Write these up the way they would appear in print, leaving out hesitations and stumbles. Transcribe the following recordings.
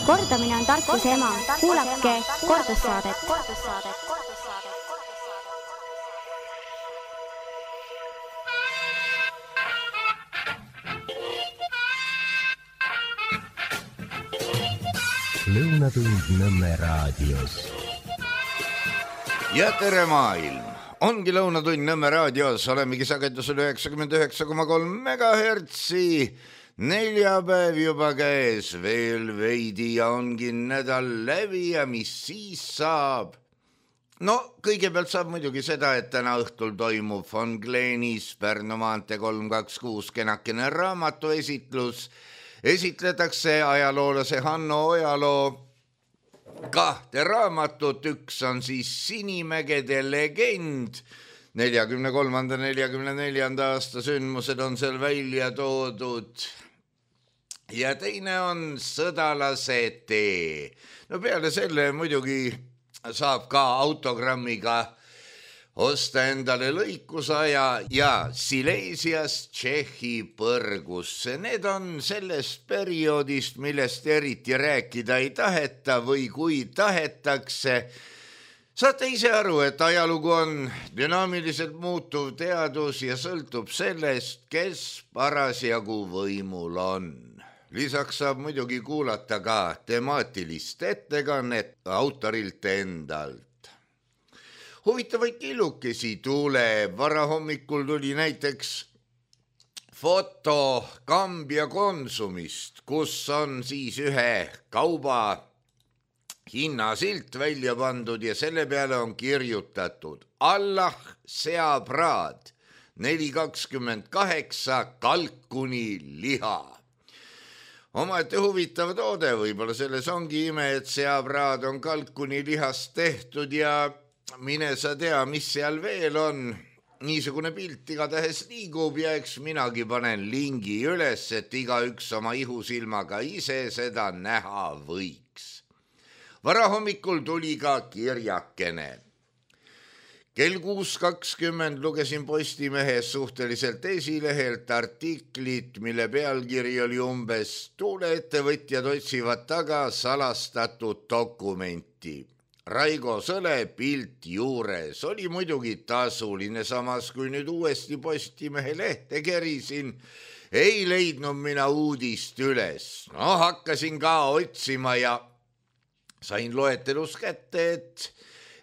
Kordamine on tarkuse ema. Kuulake kordussaadet. Lõunatund Nõmme raadios. Ja tere maailm! Ongi Lõunatund Nõmme raadios, olemegi sagedusel 99,3 megahertsi. Neljapäev juba käes, veel veidi ja ongi nädal läbi ja mis siis saab? No, kõigepealt saab muidugi seda, et täna õhtul toimub Von Glenis Pärnu maantee 326 kenakene raamatuesitlus. Esitletakse ajaloolase Hanno Ojaloo kahte raamatut, üks on siis Sinimägede legend, 43.–44. aasta sündmused on seal välja toodud ja teine on Sõdalase tee. No peale selle muidugi saab ka autogrammiga osta endale lõikusaja ja Silesiast Tšehhi põrgusse. Need on sellest perioodist, millest eriti rääkida ei taheta või kui tahetakse. Saate ise aru, et ajalugu on dünaamiliselt muutuv teadus ja sõltub sellest, kes parasjagu võimul on. Lisaks saab muidugi kuulata ka temaatilist ettekannet autorilt endalt. Huvitavaid killukesi tuleb. Varahommikul tuli näiteks foto Kambja Konsumist, kus on siis ühe kauba hinnasilt välja pandud ja selle peale on kirjutatud Allah seapraad 4,28 kalkuni liha. Omaette huvitav toode, võib-olla selles ongi ime, et seapraad on kalkuni lihast tehtud ja mine sa tea, mis seal veel on. Niisugune pilt igatahes liigub ja eks minagi panen lingi üles, et igaüks oma ihusilmaga ise seda näha võiks. Varahommikul tuli ka kirjakene. Kell 6.20 lugesin Postimehes suhteliselt esilehelt artiklit, mille pealkiri oli umbes tuuleettevõtjad otsivad taga salastatud dokumenti. Raigo Sõle pilt juures oli muidugi tasuline, samas kui nüüd uuesti Postimehe lehte kerisin, ei leidnud mina uudist üles. No hakkasin ka otsima ja sain loetelus kätte, et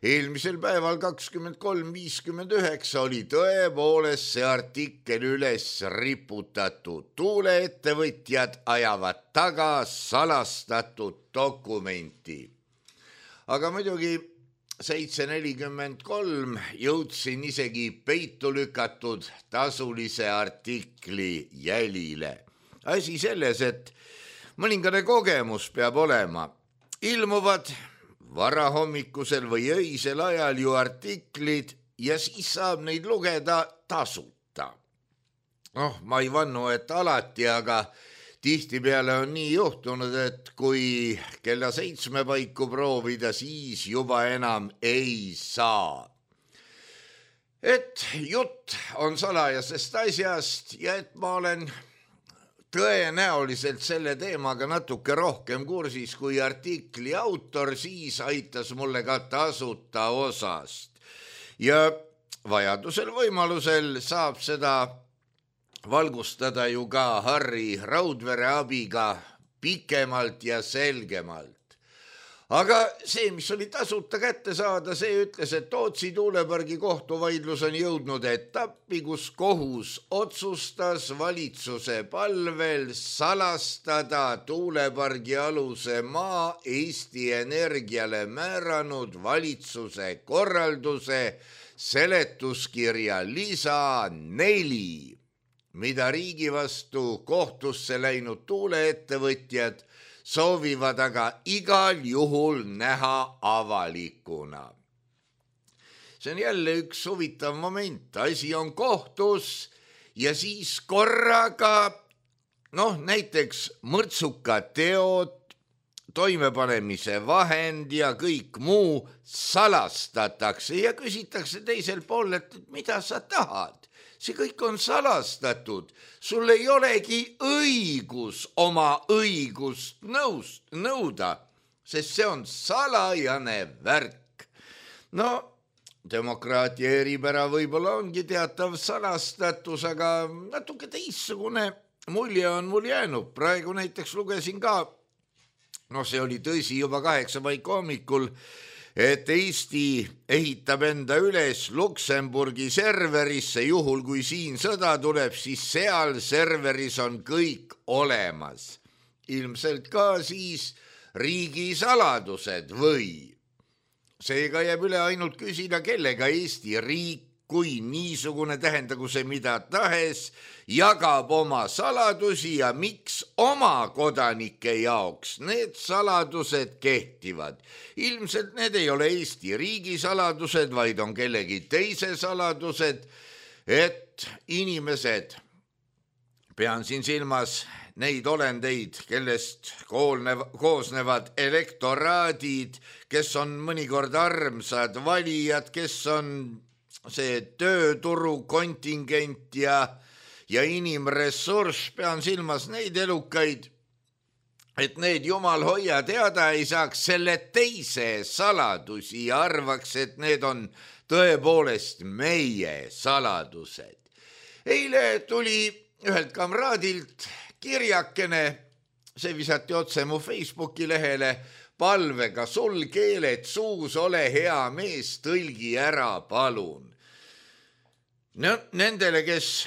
eelmisel päeval 23.59 oli tõepoolest see artikkel üles riputatud. Tuuleettevõtjad ajavad taga salastatud dokumenti. Aga muidugi 7.43 jõudsin isegi peitu lükatud tasulise artikli jälile. Asi selles, et mõningane kogemus peab olema. Ilmuvad varahommikusel või öisel ajal ju artiklid ja siis saab neid lugeda tasuta. Ma ei vannu, et alati, aga tihtipeale on nii juhtunud, et kui kella 7 paiku proovida, siis juba enam ei saa. Et jutt on salajasest asjast ja et ma olen tõenäoliselt selle teemaga natuke rohkem kursis kui artikli autor, siis aitas mulle ka tasuta osast. Ja vajadusel võimalusel saab seda valgustada ju ka Harri Raudvere abiga pikemalt ja selgemalt. Aga see, mis oli tasuta kätte saada, see ütles, et Tootsi tuulepargi kohtuvaidlus on jõudnud etappi, kus kohus otsustas valitsuse palvel salastada tuulepargi aluse maa Eesti Energiale määranud valitsuse korralduse seletuskirja lisa 4. mida riigi vastu kohtusse läinud tuuleettevõtjad soovivad aga igal juhul näha avalikuna. See on jälle üks huvitav moment. Asi on kohtus ja siis korraga, näiteks mõrtsuka teod, toimepanemise vahend ja kõik muu salastatakse ja küsitakse teiselt pool, et mida sa tahad. see kõik on salastatud. Sul ei olegi õigus oma õigust nõuda, sest see on salajane värk. No, demokraatia eripära võib-olla ongi teatav salastatus, aga natuke teistsugune mulje on mul jäänud. Praegu näiteks lugesin ka, see oli tõsi juba 8 paiku hommikul, et Eesti ehitab enda üles Luksemburgi serverisse, juhul kui siin sõda tuleb, siis seal serveris on kõik olemas. Ilmselt ka siis riigisaladused või? Seega jääb üle ainult küsida, kellega Eesti riik, kui niisugune tähendagu see mida tahes, jagab oma saladusi ja miks oma kodanike jaoks need saladused kehtivad. Ilmselt need ei ole Eesti riigi saladused, vaid on kellegi teise saladused, et inimesed, pean siin silmas neid olendeid, kellest koosnevad elektoraadid, kes on mõnikord armsad valijad, kes on see tööturu kontingent ja inimressurss, pean silmas neid elukaid, et need jumal hoia teada ei saaks selle teise saladusi ja arvaks, et need on tõepoolest meie saladused. Eile tuli ühelt kamraadilt kirjakene, see visati otse mu Facebooki lehele, palvega sul keeled suus, ole hea mees, tõlgi ära, palun. No, nendele, kes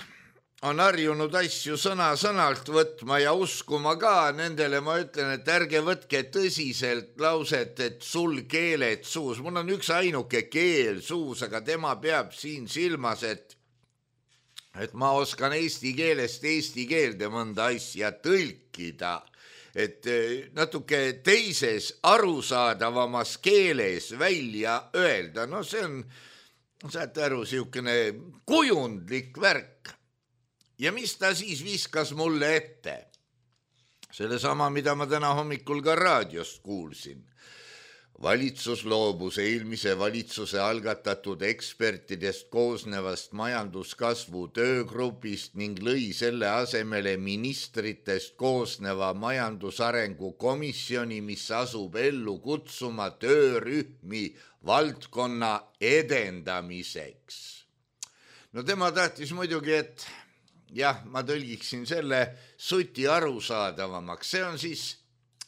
on harjunud asju sõna-sõnalt võtma ja uskuma ka, nendele ma ütlen, et ärge võtke tõsiselt lauset, et sul keeled suus. Mul on üks ainuke keel suus, aga tema peab siin silmas, et ma oskan eesti keelest eesti keelde mõnda asja tõlkida, et natuke teises arusaadavamas keeles välja öelda. No see on, saate aru, siukene kujundlik värk. Ja mis ta siis viskas mulle ette? Selle sama, mida ma täna hommikul ka raadiost kuulsin. Valitsus loobus eelmise valitsuse algatatud ekspertidest koosnevast majanduskasvu töögrupist ning lõi selle asemele ministritest koosneva majandusarengu komisjoni, mis asub ellu kutsuma töörühmi valdkonna edendamiseks. No tema tahtis muidugi, et ma tõlgiksin selle suti arusaadavamaks. See on siis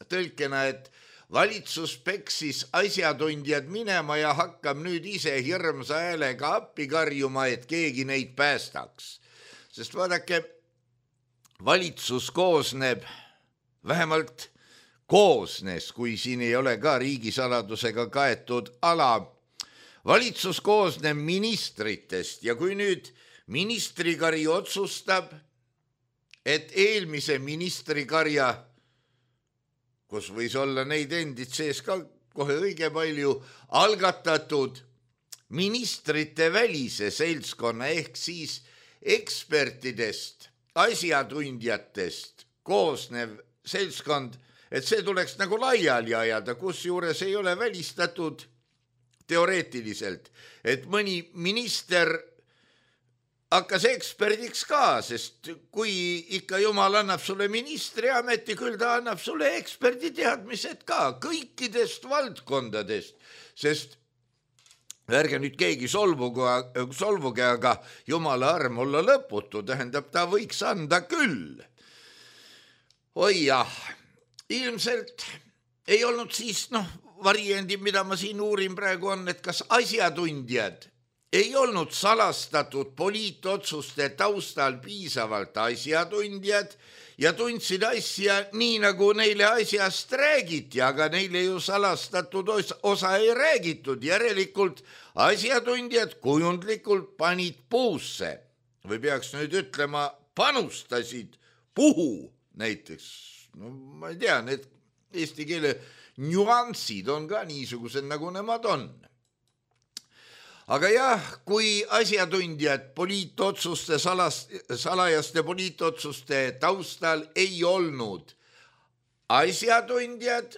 tõlkena, et valitsus peksis asjatundjad minema ja hakkab nüüd ise hirmsa häälega appi karjuma, et keegi neid päästaks. Sest vaadake, valitsus koosneb, vähemalt koosnes, kui siin ei ole ka riigisaladusega kaetud ala. Valitsus koosneb ministritest ja kui nüüd ministrikari otsustab, et eelmise ministrikarja, kus võis olla neid endid sees ka kohe õige palju, algatatud ministrite välise seltskonna ehk siis ekspertidest, asjatundjatest koosnev seltskond, et see tuleks nagu laiali ajada, kus juures ei ole välistatud teoreetiliselt, et mõni minister hakkas eksperdiks ka, sest kui ikka jumal annab sulle ministriameti, küll ta annab sulle eksperditeadmised ka kõikidest valdkondadest, sest ärge nüüd keegi solvuge, aga jumala arm olla lõputu, tähendab, ta võiks anda küll. Oi jah, ilmselt ei olnud siis, variandid, mida ma siin uurin praegu on, et kas asjatundjad ei olnud salastatud poliitotsuste taustal piisavalt asjatundjad ja tundsid asja nii, nagu neile asjast räägiti, aga neile ju salastatud osa ei räägitud. Järelikult asjatundjad kujundlikult panid puusse või peaks nüüd ütlema, panustasid puhu näiteks. No ma ei tea, need eesti keele nüansid on ka niisugused, nagu nemad on. Aga jah, kui asjatundjad poliitotsuste, salajaste poliitotsuste taustal ei olnud asjatundjad,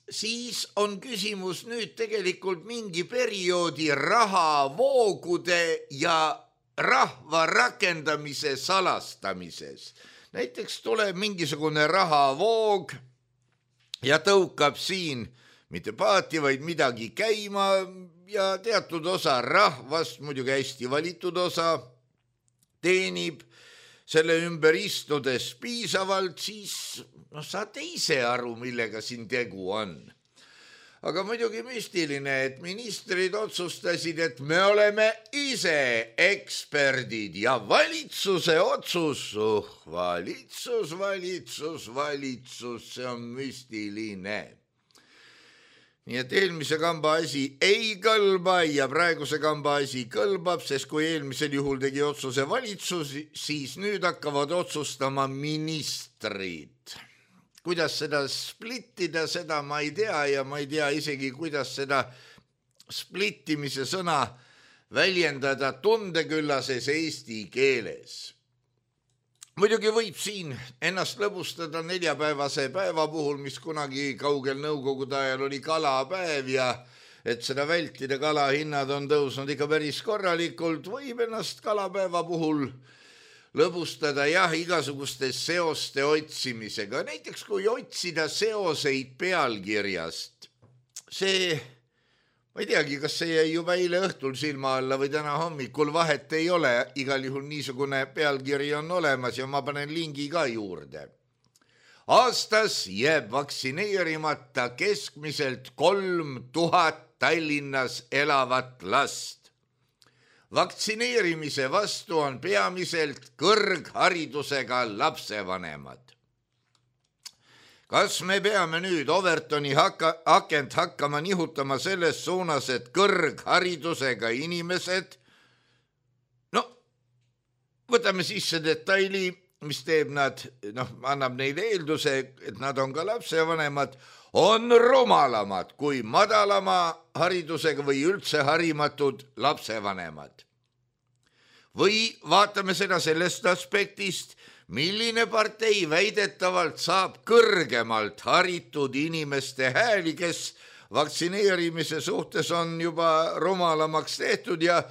siis on küsimus nüüd tegelikult mingi perioodi rahavoogude ja rahva rakendamise salastamises. Näiteks tuleb mingisugune rahavoog ja tõukab siin mitte paati, vaid midagi käima ja teatud osa rahvast, muidugi hästi valitud osa, teenib selle ümber istudes piisavalt, siis saate ise aru, millega siin tegu on. Aga muidugi müstiline, et ministrid otsustasid, et me oleme ise eksperdid ja valitsuse otsus, valitsus, see on müstiline. Nii et eelmise kamba asi ei kõlba ja praeguse kamba asi kõlbab, sest kui eelmisel juhul tegi otsuse valitsus, siis nüüd hakkavad otsustama ministrid. Kuidas seda splittida, seda ma ei tea ja ma ei tea isegi, kuidas seda splittimise sõna väljendada tundeküllases eesti keeles. Muidugi võib siin ennast lõbustada neljapäevase päeva puhul, mis kunagi kaugel nõukogude ajal oli kalapäev ja et seda vältida, kalahinnad on tõusnud ikka päris korralikult, võib ennast kalapäeva puhul lõbustada igasuguste seoste otsimisega. Näiteks kui otsida seoseid pealkirjast, see, ma ei teagi, kas see jäi juba eile õhtul silma alla või täna hommikul, vahet ei ole, igal juhul niisugune pealkiri on olemas ja ma panen lingi ka juurde. Aastas jääb vaktsineerimata keskmiselt 3000 Tallinnas elavat last. Vaktsineerimise vastu on peamiselt kõrgharidusega lapsevanemad. Kas me peame nüüd Overtoni akent hakkama nihutama selles suunas, et kõrgharidusega inimesed, võtame sisse detaili, mis teeb nad, annab neile eelduse, et nad on ka lapsevanemad, on rumalamad kui madalama haridusega või üldse harimatud lapsevanemad. Või vaatame seda sellest aspektist, milline partei väidetavalt saab kõrgemalt haritud inimeste hääli, kes vaktsineerimise suhtes on juba rumalamaks tehtud ja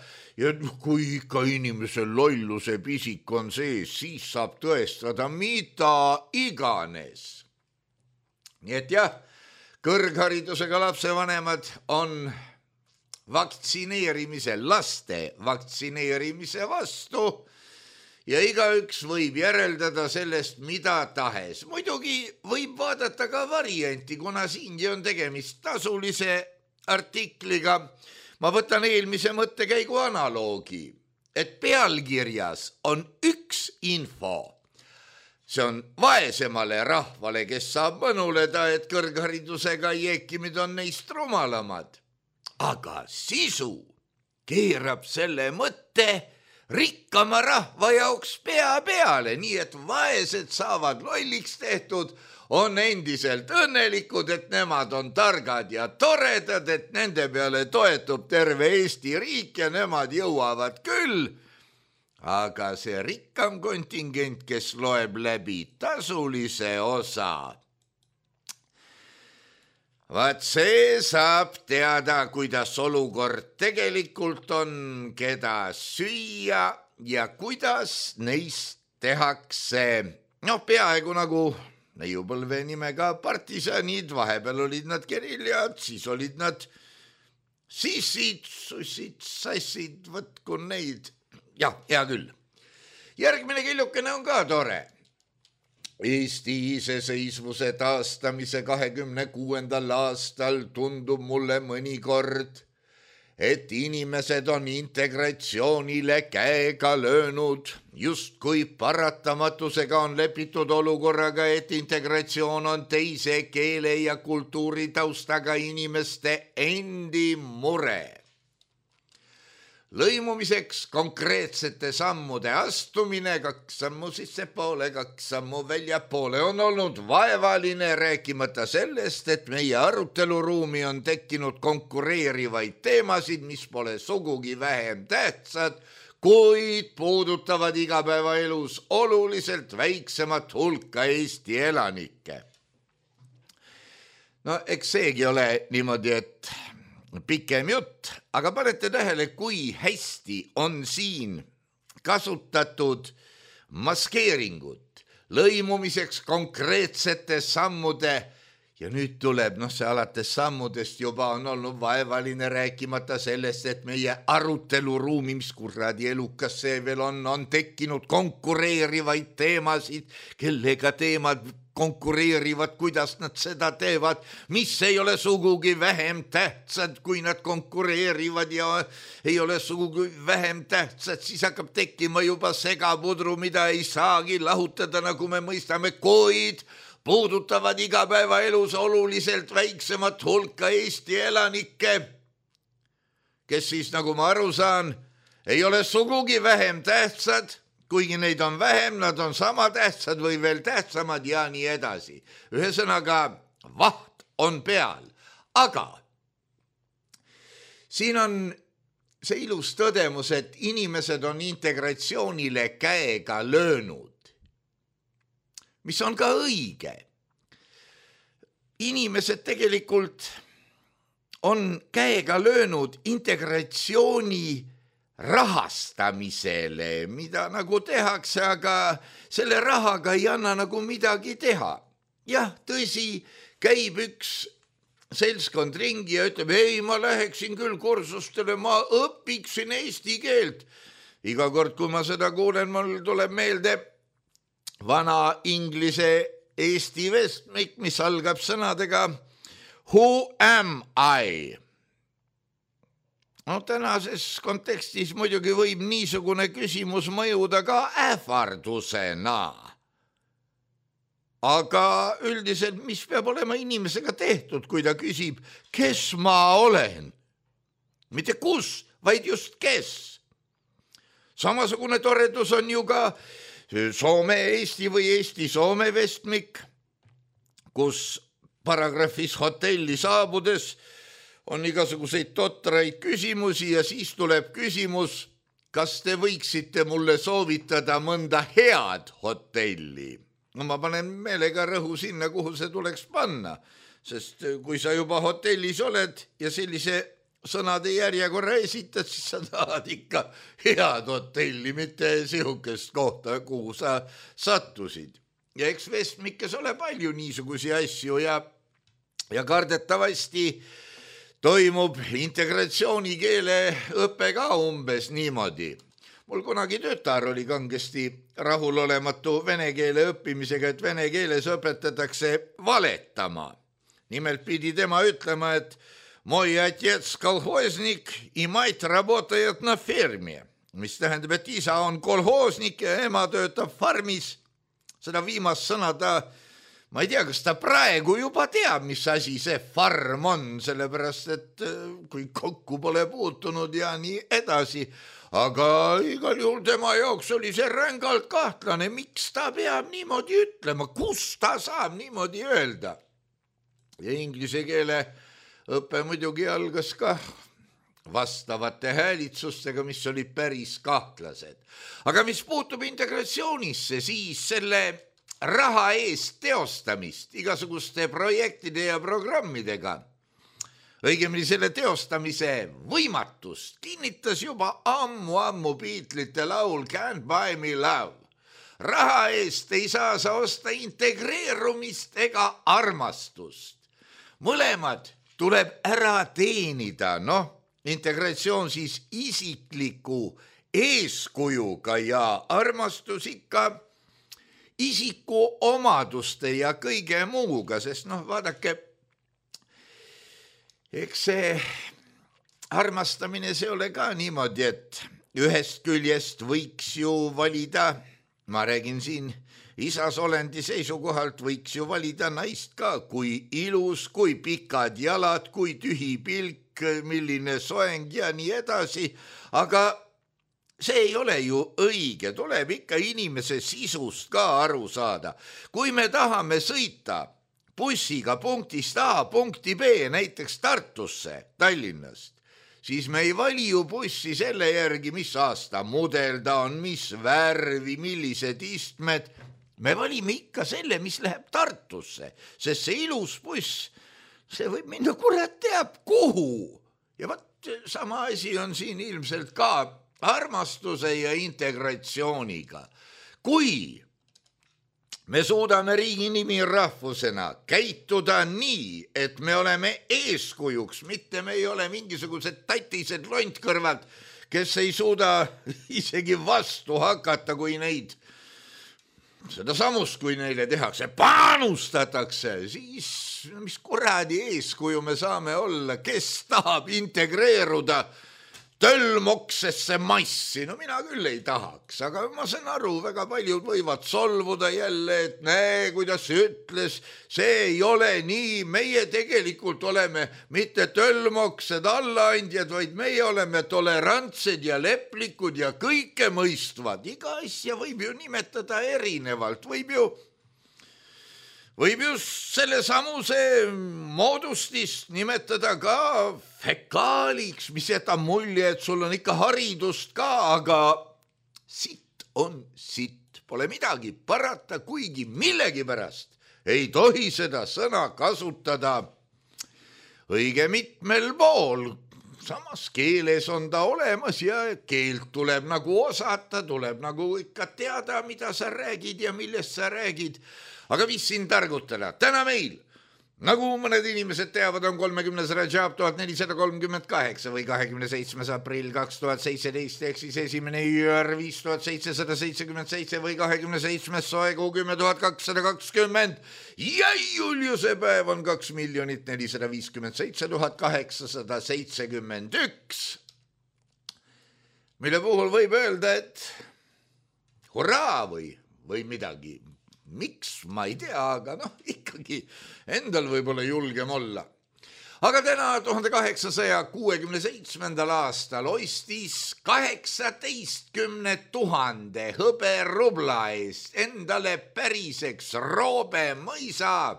kui ikka inimesel lolluse pisik on sees, siis saab tõestada mida iganes. Nii et kõrgharidusega lapsevanemad on laste vaktsineerimise vastu ja igaüks võib järeldada sellest mida tahes. Muidugi võib vaadata ka varianti, kuna siingi on tegemist tasulise artikliga. Ma võtan eelmise mõttekäigu analoogi, et pealkirjas on üks info. See on vaesemale rahvale, kes saab mõnuleda, et kõrgharidusega jeekimid on neist rumalamad. Aga sisu keerab selle mõtte rikkama rahva jaoks pea peale, nii et vaesed saavad lolliks tehtud, on endiselt õnnelikud, et nemad on targad ja toredad, et nende peale toetub terve Eesti riik ja nemad jõuavad küll. Aga see rikkam kontingent, kes loeb läbi tasulise osa, vaat see saab teada, kuidas olukord tegelikult on, keda süüa ja kuidas neist tehakse. Peaaegu nagu neiupõlve nimega partisanid, vahepeal olid nad geriljad, siis olid nad sissid, sussid, sassid, võtku neid. Hea küll. Järgmine killukene on ka tore. Eesti iseseisvuse taastamise 26. aastal tundub mulle mõnikord, et inimesed on integratsioonile käega löönud, justkui paratamatusega on lepitud olukorraga, et integratsioon on teise keele ja kultuuritaustaga inimeste endi mure. Lõimumiseks konkreetsete sammude astumine, 2 sammu sissepoole, 2 sammu väljapoole on olnud vaevaline, rääkimata sellest, et meie aruteluruumi on tekkinud konkureerivaid teemasid, mis pole sugugi vähem tähtsad, kuid puudutavad igapäevaelus oluliselt väiksemat hulka Eesti elanikke. Eks seegi ole niimoodi, et pikem jutt, aga panete tähele, kui hästi on siin kasutatud maskeeringut lõimumiseks konkreetsete sammude ja nüüd tuleb, see alates sammudest juba on olnud vaevaline, rääkimata sellest, et meie aruteluruumi, mis kuradi elukas see veel on tekkinud konkureerivaid teemasid, kellega teemad konkureerivad, kuidas nad seda teevad, mis ei ole sugugi vähem tähtsad, kui nad konkureerivad ja ei ole sugugi vähem tähtsad, siis hakkab tekkima juba segapudru, mida ei saagi lahutada, nagu me mõistame, kuid puudutavad igapäevaelus oluliselt väiksemat hulka Eesti elanikke, kes siis, nagu ma aru saan, ei ole sugugi vähem tähtsad, kuigi neid on vähem, nad on sama tähtsad või veel tähtsamad ja nii edasi. Ühesõnaga, vaht on peal, aga siin on see ilus tõdemus, et inimesed on integratsioonile käega löönud, mis on ka õige. Inimesed tegelikult on käega löönud integratsiooni rahastamisele, mida nagu tehakse, aga selle rahaga ei anna nagu midagi teha. Jah, tõsi, käib üks seltskond ringi ja ütleb, ei, ma läheksin küll kursustele, ma õpiksin eesti keelt. Iga kord, kui ma seda kuulen, mul tuleb meelde vana inglise eesti vestmik, mis algab sõnadega Who am I? Tänases kontekstis muidugi võib niisugune küsimus mõjuda ka ähvardusena. Aga üldiselt, mis peab olema inimesega tehtud, kui ta küsib, kes ma olen? Mitte kus, vaid just kes. Samasugune toredus on ju ka Soome-Eesti või Eesti-Soome vestmik, kus paragrahvis hotelli saabudes on igasuguseid totraid küsimusi ja siis tuleb küsimus, kas te võiksite mulle soovitada mõnda head hotelli? No ma panen meelega rõhu sinna, kuhu see tuleks panna, sest kui sa juba hotellis oled ja sellise sõnade järjekorra esitad, siis sa tahad ikka head hotelli, mitte sihukest kohta, kuhu sa sattusid. Ja eks vestmikes ole palju niisugusi asju ja kardetavasti toimub integratsioonikeel õpe ka umbes niimoodi. Mul kunagi tütar oli kangesti rahulolematu vene keele õppimisega, et vene keeles õpetatakse valetama. Nimelt pidi tema ütlema, et Moj отец kolhoosnik и мать работает на ферме, mis tähendab, et isa on kolhoosnik ja ema töötab farmis. Seda viimast sõna ma ei tea, kas ta praegu juba teab, mis asi see farm on, sellepärast, et kui kokku pole puutunud ja nii edasi. Aga igal juhul tema jaoks oli see rängalt kahtlane, miks ta peab niimoodi ütlema, kus ta saab niimoodi öelda. Ja inglise keele õpe muidugi algas ka vastavate häälitsustega, mis oli päris kahtlased. Aga mis puutub integratsioonisse, siis selle raha eest teostamist igasuguste projektide ja programmidega, õigemini selle teostamise võimatust kinnitas juba ammu Beatlesite laul Can't Buy Me Love. Raha eest ei saa sa osta integreerumist ega armastust. Mõlemad tuleb ära teenida, integratsioon siis isikliku eeskujuga ja armastus ikka isiku omaduste ja kõige muuga, sest vaadake, eks see armastamine see ole ka niimoodi, et ühest küljest võiks ju valida, ma räägin siin isas olendi seisukohalt, võiks ju valida naist ka, kui ilus, kui pikad jalad, kui tühi pilk, milline soeng ja nii edasi, aga see ei ole ju õige, tuleb ikka inimese sisust ka aru saada. Kui me tahame sõita bussiga punktist A punkti B, näiteks Tartusse, Tallinnast, siis me ei vali ju bussi selle järgi, mis aasta mudel ta on, mis värvi, millised istmed. Me valime ikka selle, mis läheb Tartusse, sest see ilus buss, see võib minna kurat teab kuhu. Ja sama asi on siin ilmselt ka armastuse ja integratsiooniga. Kui me suudame riigi nimi rahvusena käituda nii, et me oleme eeskujuks, mitte me ei ole mingisugused tatised lontkõrvad, kes ei suuda isegi vastu hakata, kui neid, seda samust, kui neile tehakse, panustatakse, siis mis kuradi eeskuju me saame olla, kes tahab integreeruda tölmoksesse massi, no mina küll ei tahaks, aga ma saan aru, väga paljud võivad solvuda jälle, et näe, kuidas ütles, see ei ole nii, meie tegelikult oleme mitte tölmoksed allaandjad, vaid meie oleme tolerantsed ja leplikud ja kõike mõistvad. Iga asja võib ju nimetada erinevalt, võib ju selle samuse moodustist nimetada ka fekaaliks, mis jätab mulje, et sul on ikka haridust ka, aga sitt on sitt, pole midagi parata, kuigi millegipärast ei tohi seda sõna kasutada õige mitmel pool. Samas keeles on ta olemas ja keelt tuleb nagu osata, tuleb nagu ikka teada, mida sa räägid ja millest sa räägid. Aga mis siin targutada? Täna meil, nagu mõned inimesed teavad, on 30. Rajab 1438 või 27. aprill 2017 ehk siis 1. jüär 5777 või 27. soekuu 10220 ja Juliuse päev on 2 457 871, mille puhul võib öelda, et hurraa või midagi. Miks, ma ei tea, aga ikkagi endal võib-olla julgem olla. Aga täna 1867. aastal ostis 18 000 hõberubla eest endale päriseks Roobe mõisa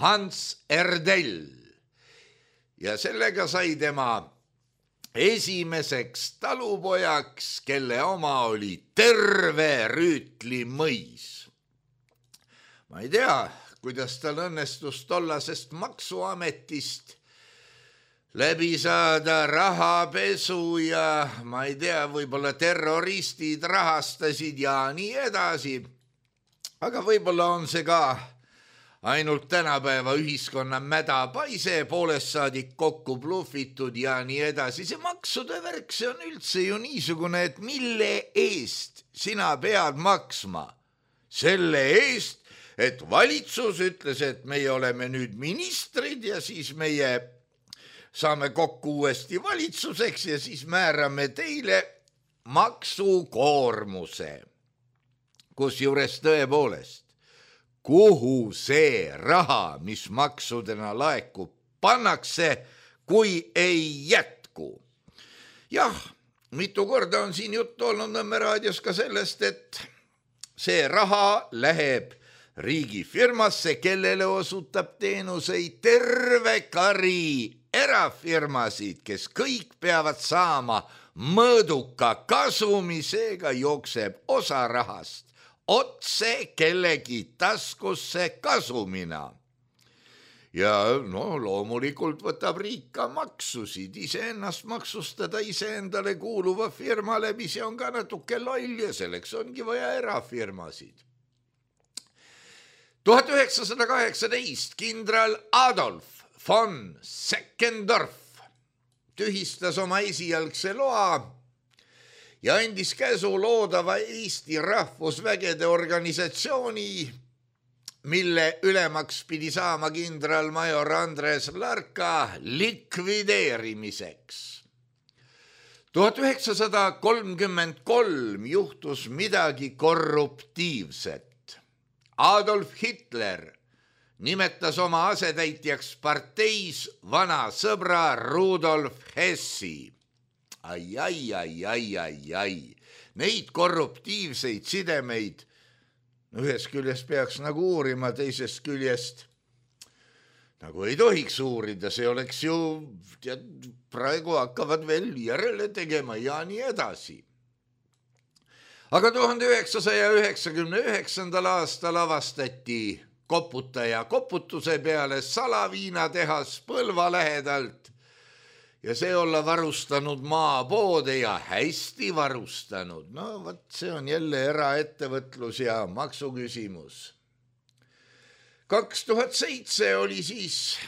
Hans Erdell. Ja sellega sai tema esimeseks talupojaks, kelle oma oli terve Rüütli mõis. Ma ei tea, kuidas tal õnnestus tollasest maksuametist läbi saada rahapesu ja ma ei tea, võib-olla terroristid rahastasid ja nii edasi. Aga võib-olla on see ka ainult tänapäeva ühiskonna mädapaise, poolest saadik kokku bluffitud ja nii edasi. See maksude värk, see on üldse ju niisugune, et mille eest sina pead maksma? Selle eest, et valitsus ütles, et meie oleme nüüd ministrid ja siis meie saame kokku uuesti valitsuseks ja siis määrame teile maksukoormuse. Kusjuures tõepoolest, kuhu see raha, mis maksudena laekub, pannakse, kui ei jätku? Jah, mitu korda on siin juttu olnud Nõmme raadios ka sellest, et see raha läheb riigifirmasse, kellele osutab teenuseid terve kari erafirmasid, kes kõik peavad saama mõõduka kasumi, seega jookseb osa rahast otse kellegi taskusse kasumina. Ja loomulikult võtab riik ka maksusid, iseennast maksustada iseendale kuuluva firma läbi, see on ka natuke loll ja selleks ongi vaja erafirmasid. 1918 kindral Adolf von Seckendorf tühistas oma esialgse loa ja andis käsu loodava Eesti rahvusvägede organisatsiooni, mille ülemaks pidi saama kindralmajor Andres Larka likvideerimiseks. 1933 juhtus midagi korruptiivset. Adolf Hitler nimetas oma asetäitjaks parteis vana sõbra Rudolf Hessi. Ai. Neid korruptiivseid sidemeid ühest küljest peaks nagu uurima, teisest küljest nagu ei tohiks uurida, see oleks ju, praegu hakkavad veel järele tegema ja nii edasi. Aga 1999. aastal avastati koputaja koputuse peale salaviinatehas Põlva lähedalt ja see olla varustanud maapoode ja hästi varustanud. No võt, see on jälle eraettevõtlus ja maksuküsimus. 2007 oli siis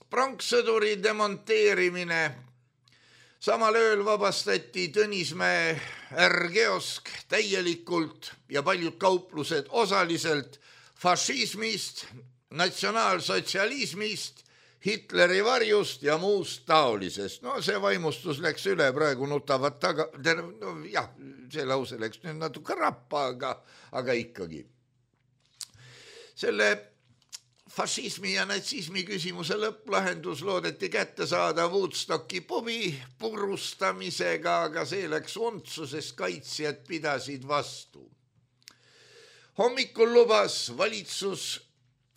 pronkssõduri demonteerimine. Samal ööl vabastati Tõnismäe R-kiosk täielikult ja paljud kauplused osaliselt fašismist, natsionaalsotsialismist, Hitleri varjust ja muust taolisest. No see vaimustus läks üle, praegu nutavad taga, no jah, see lause läks nüüd natuke rappa, aga ikkagi. Selle fašismi ja natsismi küsimuse lõpplahendus loodeti kätte saada Woodstocki pubi purustamisega, aga see läks untsu, sest kaitsjad pidasid vastu. Hommikul lubas valitsus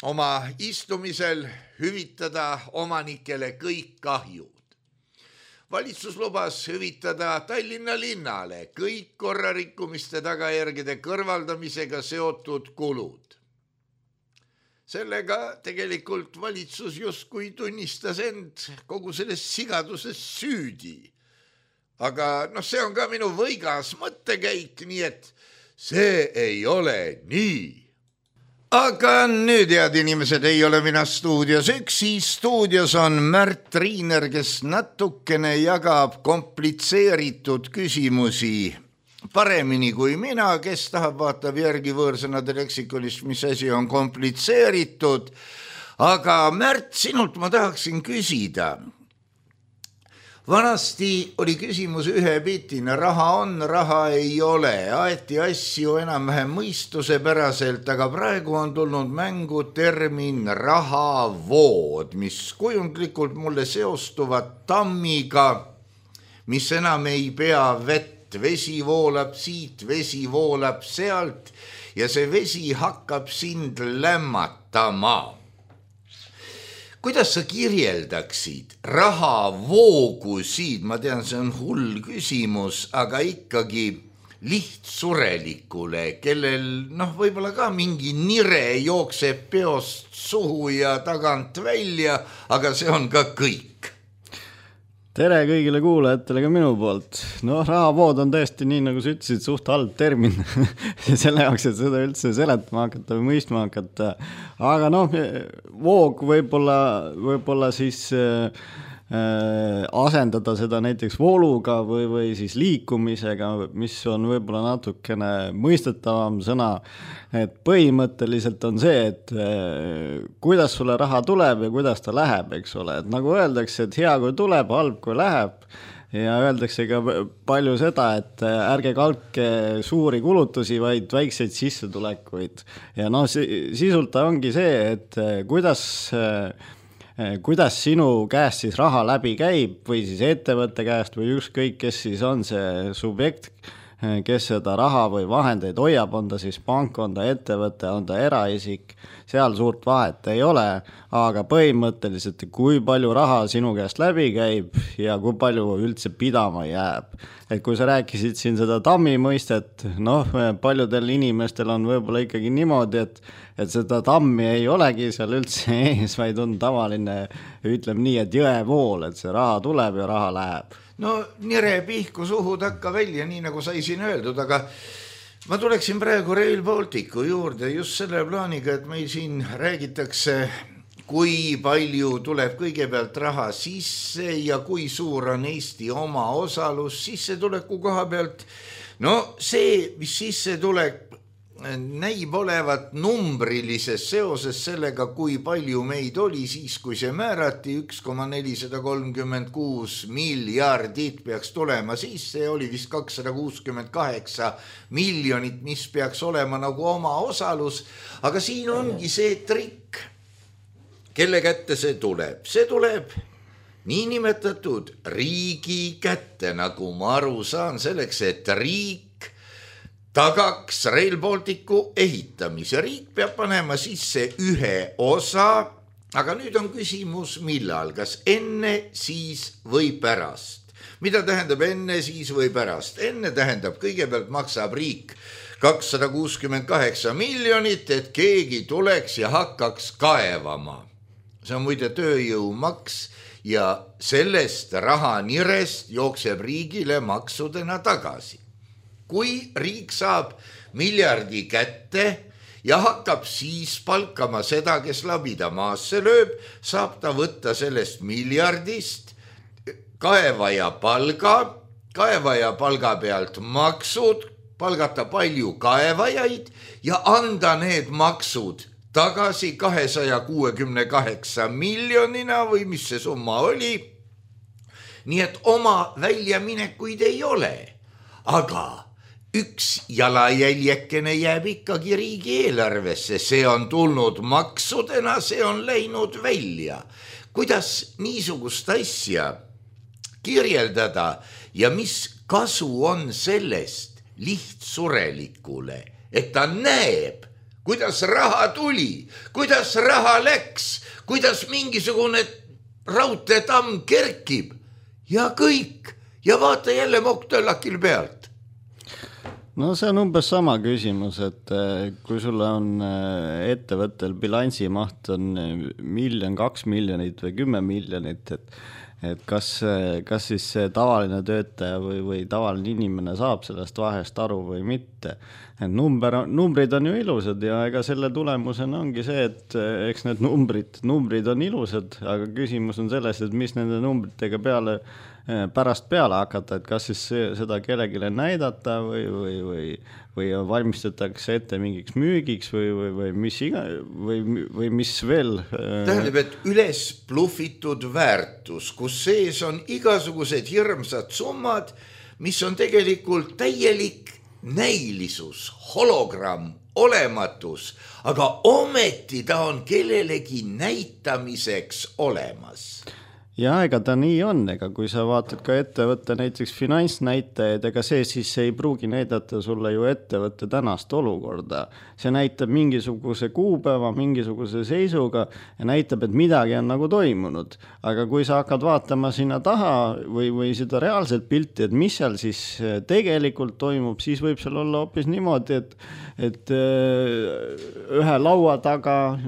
oma istumisel hüvitada omanikele kõik kahjud. Valitsus lubas hüvitada Tallinna linnale kõik korrarikkumiste tagajärgede kõrvaldamisega seotud kulud. Sellega tegelikult valitsus justkui tunnistas end kogu selles sigaduses süüdi. Aga see on ka minu võigas mõttekäik, nii et see ei ole nii. Aga nüüd, head inimesed, ei ole mina stuudios üksi. Stuudios on Märt Riiner, kes natukene jagab komplitseeritud küsimusi paremini kui mina, kes tahab vaatab järgi võõrsõnade leksikonist, mis asi on komplitseeritud. Aga Märt, sinult ma tahaksin küsida. Vanasti oli küsimus ühepitine, raha on, raha ei ole, aeti asju enam-vähem mõistuse päraselt, aga praegu on tulnud mängu termin rahavood, mis kujundlikult mulle seostuvad tammiga, mis enam ei pea vett. Vesi voolab siit, vesi voolab sealt ja see vesi hakkab sind lämmatama. Kuidas sa kirjeldaksid rahavoogusid? Ma tean, see on hull küsimus, aga ikkagi lihtsurelikule, kellel võib-olla ka mingi nire jookseb peost suhu ja tagant välja, aga see on ka kõik. Tere kõigile kuulajatele ka minu poolt. Rahavood on tõesti nii, nagu sa ütlesid, suht halb termin selle jaoks, et seda üldse seletama hakata või mõistma hakata. Aga voog võib-olla siis asendada seda näiteks vooluga või siis liikumisega, mis on võib-olla natukene mõistetavam sõna. Et põhimõtteliselt on see, et kuidas sulle raha tuleb ja kuidas ta läheb, eks ole. Et nagu öeldakse, et hea kui tuleb, halb kui läheb. Ja öeldakse ka palju seda, et ärge kalke suuri kulutusi, vaid väikseid sissetulekuid. Ja sisult ongi see, et kuidas sinu käest siis raha läbi käib või siis ettevõtte käest või ükskõik, kes siis on see subjekt, kes seda raha või vahendeid hoiab, on ta siis pank, on ta ettevõte, on ta eraisik, seal suurt vahet ei ole, aga põhimõtteliselt kui palju raha sinu käest läbi käib ja kui palju üldse pidama jääb. Et kui sa rääkisid siin seda tammi mõistet, paljudel inimestel on võib-olla ikkagi niimoodi, et seda tammi ei olegi seal üldse ees, vaid on tavaline, ütleme nii, et jõevool, et see raha tuleb ja raha läheb. Nire pihku suhu takka välja, nii nagu sai siin öeldud, aga ma tuleksin praegu Rail Balticu juurde just selle plaaniga, et meil siin räägitakse, kui palju tuleb kõigepealt raha sisse ja kui suur on Eesti oma osalus sissetuleku koha pealt. See, mis sisse tuleb, näib olevat numbrilises seoses sellega, kui palju meid oli siis, kui see määrati 1,436 miljardit peaks tulema sisse ja oli vist 268 miljonit, mis peaks olema nagu oma osalus. Aga siin ongi see trikk, kelle kätte see tuleb. See tuleb niinimetatud riigi kätte, nagu ma aru saan, selleks, et riik tagaks Rail Balticu ehitamise. Riik peab panema sisse ühe osa, aga nüüd on küsimus millal, kas enne, siis või pärast. Mida tähendab enne, siis või pärast? Enne tähendab, kõigepealt maksab riik 268 miljonit, et keegi tuleks ja hakkaks kaevama. See on muide tööjõumaks ja sellest rahanirest jookseb riigile maksudena tagasi. Kui riik saab miljardi kätte ja hakkab siis palkama seda, kes labida maasse lööb, saab ta võtta sellest miljardist kaevaja palga pealt maksud, palgata palju kaevajaid ja anda need maksud tagasi 268 miljonina või mis see summa oli. Nii et oma väljaminekuid ei ole, aga üks jalajäljekene jääb ikkagi riigieelarvesse, see on tulnud maksudena, see on läinud välja. Kuidas niisugust asja kirjeldada ja mis kasu on sellest lihtsurelikule, et ta näeb, kuidas raha tuli, kuidas raha läks, kuidas mingisugune raudteetamm kerkib ja kõik ja vaata jälle mokk-töllakil pealt. No see on umbes sama küsimus, et kui sulle on ettevõttel bilansimaht on 1 miljon, 2 miljonit või 10 miljonit, et kas siis see tavaline töötaja või tavaline inimene saab sellest vahest aru või mitte. Et numbrid on ju ilusad ja ega selle tulemusena ongi see, et eks need numbrid on ilusad, aga küsimus on selles, et mis nende numbritega pärast peale hakata, et kas siis seda kellegile näidata või valmistatakse ette mingiks müügiks või mis veel. Tähendab, et üles pluffitud väärtus, kus sees on igasugused hirmsad summad, mis on tegelikult täielik näilisus, hologramm, olematus, aga ometi ta on kellelegi näitamiseks olemas. Ja ega ta nii on, ega kui sa vaatad ka ettevõtte näiteks finantsnäitajaid, ega see siis ei pruugi näidata sulle ju ettevõtte tänast olukorda. See näitab mingisuguse kuupäeva, mingisuguse seisuga ja näitab, et midagi on nagu toimunud. Aga kui sa hakkad vaatama sinna taha või seda reaalset pilti, et mis seal siis tegelikult toimub, siis võib seal olla hoopis niimoodi, et ühe laua taga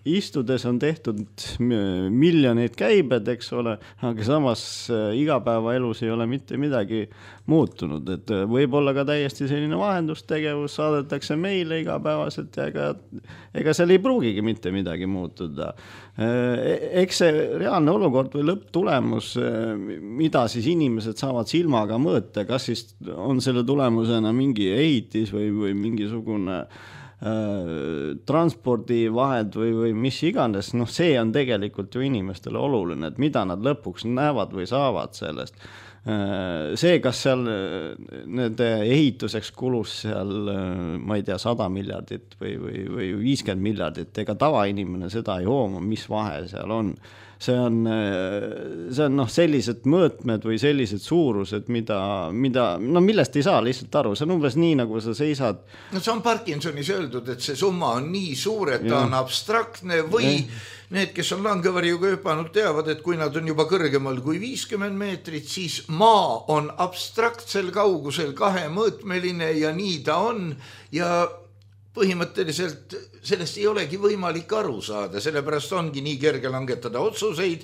istudes on tehtud miljoneid käibed, eks ole, aga samas igapäevaelus ei ole mitte midagi muutunud, et võib olla ka täiesti selline vahendustegevus, saadetakse meile igapäevaselt ja ega seal ei pruugigi mitte midagi muutuda. Eks see reaalne olukord või lõpptulemus, mida siis inimesed saavad silmaga mõõta, kas siis on selle tulemusena mingi ehitis või mingisugune transpordivahed või mis iganes, see on tegelikult ju inimestele oluline, et mida nad lõpuks näevad või saavad sellest. See, kas seal nende ehituseks kulus seal, ma ei tea, 100 miljardit või 50 miljardit, ega tavainimene seda ei hooma, mis vahe seal on. See on sellised mõõtmed või sellised suurused, millest ei saa lihtsalt aru. See on umbes nii, nagu sa seisad. No see on Parkinsonis öeldud, et see summa on nii suur, et ta on abstraktne või need, kes on langevarjuga hüpanud, teavad, et kui nad on juba kõrgemal kui 50 meetrit, siis maa on abstraktsel kaugusel kahemõõtmeline ja nii ta on ja põhimõtteliselt sellest ei olegi võimalik aru saada, sellepärast ongi nii kerge langetada otsuseid,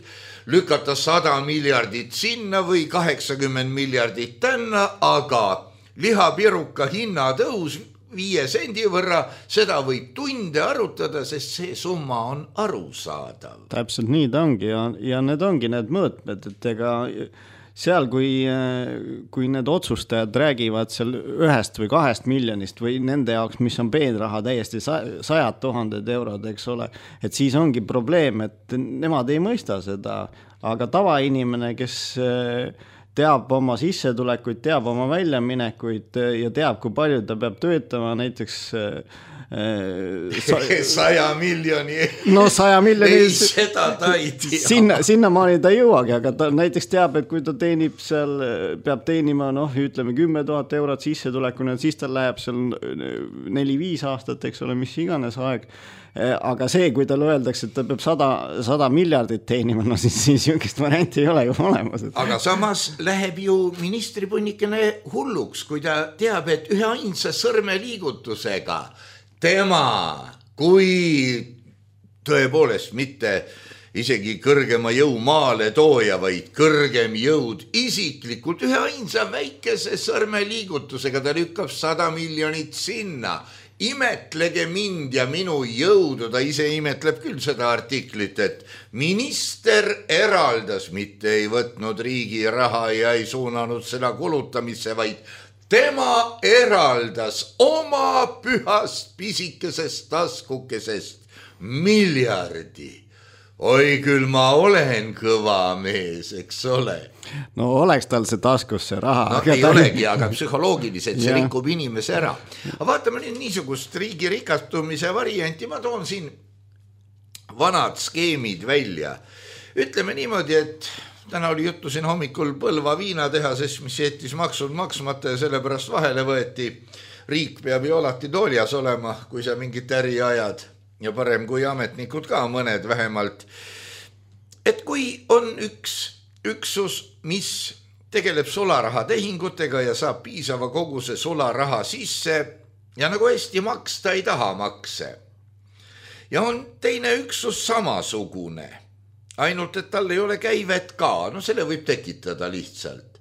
lükata 100 miljardit sinna või 80 miljardit tänna, aga lihapiruka hinnatõus 5 sendi võrra, seda võib tunde arutada, sest see summa on arusaadav. Täpselt nii ta ongi ja need ongi need mõõtmed, et ega seal, kui need otsustajad räägivad seal 1 või 2 miljonist või nende jaoks, mis on peenraha täiesti 100 000 eurod, eks ole, et siis ongi probleem, et nemad ei mõista seda, aga tavainimene, kes teab oma sissetulekuid, teab oma väljaminekuid ja teab, kui palju ta peab töötama näiteks 100 miljoni. No 100 miljoni. Ei, seda ta ei tea. Sinna maani ta ei jõuagi, aga ta näiteks teab, et kui ta teenib seal, peab teenima, ütleme 10 000 eurot sissetulekuna, siis ta läheb seal 4-5 aastat, eks ole, mis iganes aeg. Aga see, kui tal öeldakse, et ta peab 100 miljardit teenima, siis jõngist varianti ei ole ju olemas. Aga samas läheb ju ministripunnikene hulluks, kui ta teab, et ühe ainsa sõrmeliigutusega tema, kui tõepoolest mitte isegi kõrgema jõu maale tooja, vaid kõrgem jõud isiklikult ühe ainsa väikese sõrmeliigutusega ta lükkab 100 miljonit sinna. Imetlege mind ja minu jõudu, ta ise imetleb küll seda artiklit, et minister eraldas, mitte ei võtnud riigi raha ja ei suunanud seda kulutamisse, vaid tema eraldas oma pühast pisikesest taskukesest miljardi. Oi küll ma olen kõva mees, eks ole. No oleks tal see taskus see raha. No ei olegi, aga psühholoogiliselt see rikub inimese ära. Aga vaatame nüüd niisugust riigi rikastumise varianti. Ma toon siin vanad skeemid välja. Ütleme niimoodi, et täna oli juttu siin hommikul Põlva viinatehases, mis jättis maksud maksmata ja sellepärast vahele võeti. Riik peab ju alati tooljas olema, kui sa mingit äri ajad. Ja parem kui ametnikud ka mõned vähemalt. Et kui on üks üksus, mis tegeleb sularaha tehingutega ja saab piisava koguse sularaha sisse ja nagu hästi maksta ei taha makse. Ja on teine üksus samasugune, ainult et tal ei ole käivet ka, no selle võib tekitada lihtsalt.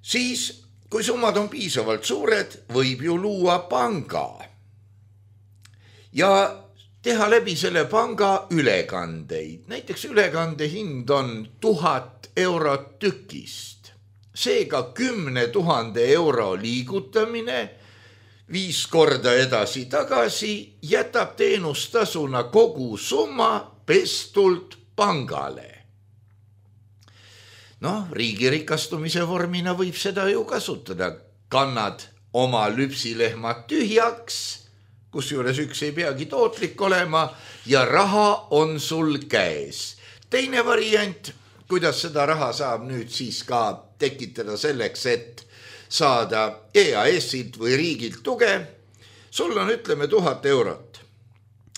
Siis, kui summad on piisavalt suured, võib ju luua panga. Ja teha läbi selle panga ülekandeid. Näiteks ülekande hind on 1000 eurot tükist. Seega 10 000 euro liigutamine 5 korda edasi-tagasi jätab teenustasuna kogu summa pestult pangale. No, riigi rikastumise vormina võib seda ju kasutada. Kannad oma lüpsilehmad tühjaks, kusjuures üks ei peagi tootlik olema ja raha on sul käes. Teine variant, kuidas seda raha saab nüüd siis ka tekitada selleks, et saada EAS-ilt või riigilt tuge. Sul on, ütleme, 1000 eurot,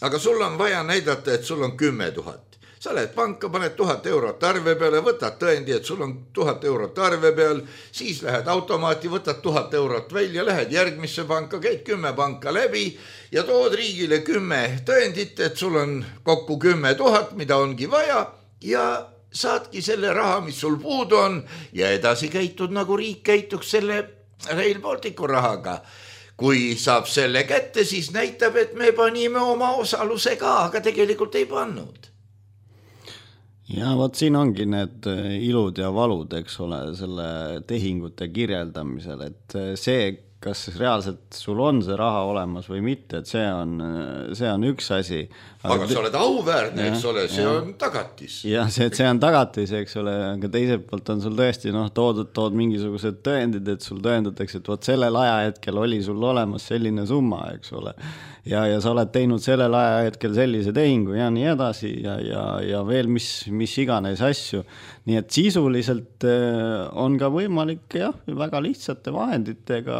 aga sul on vaja näidata, et sul on 10 000. Sa lähed panka, paned 1000 eurot arve peale, võtad tõendi, et sul on 1000 eurot arve peal, siis lähed automaati, võtad 1000 eurot välja, lähed järgmisse panka, käid 10 panka läbi ja tood riigile 10 tõendit, et sul on kokku 10 000, mida ongi vaja ja saadki selle raha, mis sul puudu on ja edasi käitud nagu riik käituks selle Rail Balticu rahaga. Kui saab selle kätte, siis näitab, et me panime oma osaluse ka, aga tegelikult ei pannud. Ja võt siin ongi need ilud ja valud, eks ole, selle tehingute kirjeldamisel, et see, kas reaalselt sul on see raha olemas või mitte, et see on üks asi. Aga sa oled auväärne, eks ole, see on tagatis. Jah, see on tagatis, eks ole, aga teiselt poolt on sul tõesti tood mingisugused tõendid, et sul tõendatakse, et võt sellel ajahetkel oli sul olemas selline summa, eks ole. Ja sa oled teinud sellel ajahetkel sellise tehingu ja nii edasi ja veel mis iganes asju. Nii et sisuliselt on ka võimalik väga lihtsate vahenditega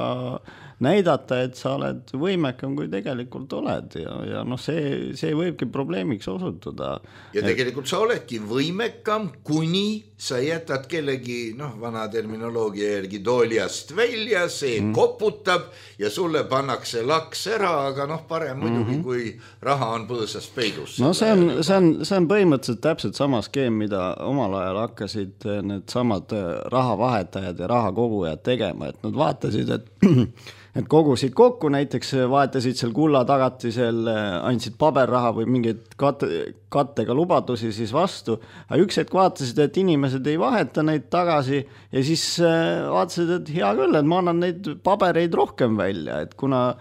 näidata, et sa oled võimekam, kui tegelikult oled ja see võibki probleemiks osutuda. Ja tegelikult sa oledki võimekam, kuni sa jätad kellegi, vana terminoloogia järgi tooljast välja, see koputab ja sulle pannakse laks ära, aga parem muidugi, kui raha on põõsas peidus. No see on põhimõtteliselt täpselt sama skeem, mida omal ajal hakkasid need samad rahavahetajad ja rahakogujad tegema, et nad vaatasid, et kogusid kokku, näiteks vaetasid seal kulla tagatisel, andsid paberraha või mingeid kattega lubadusi siis vastu, aga üks hetk vaatasid, et inimesed ei vaheta neid tagasi ja siis vaatasid, et hea küll, et ma annan neid pabereid rohkem välja, et kuna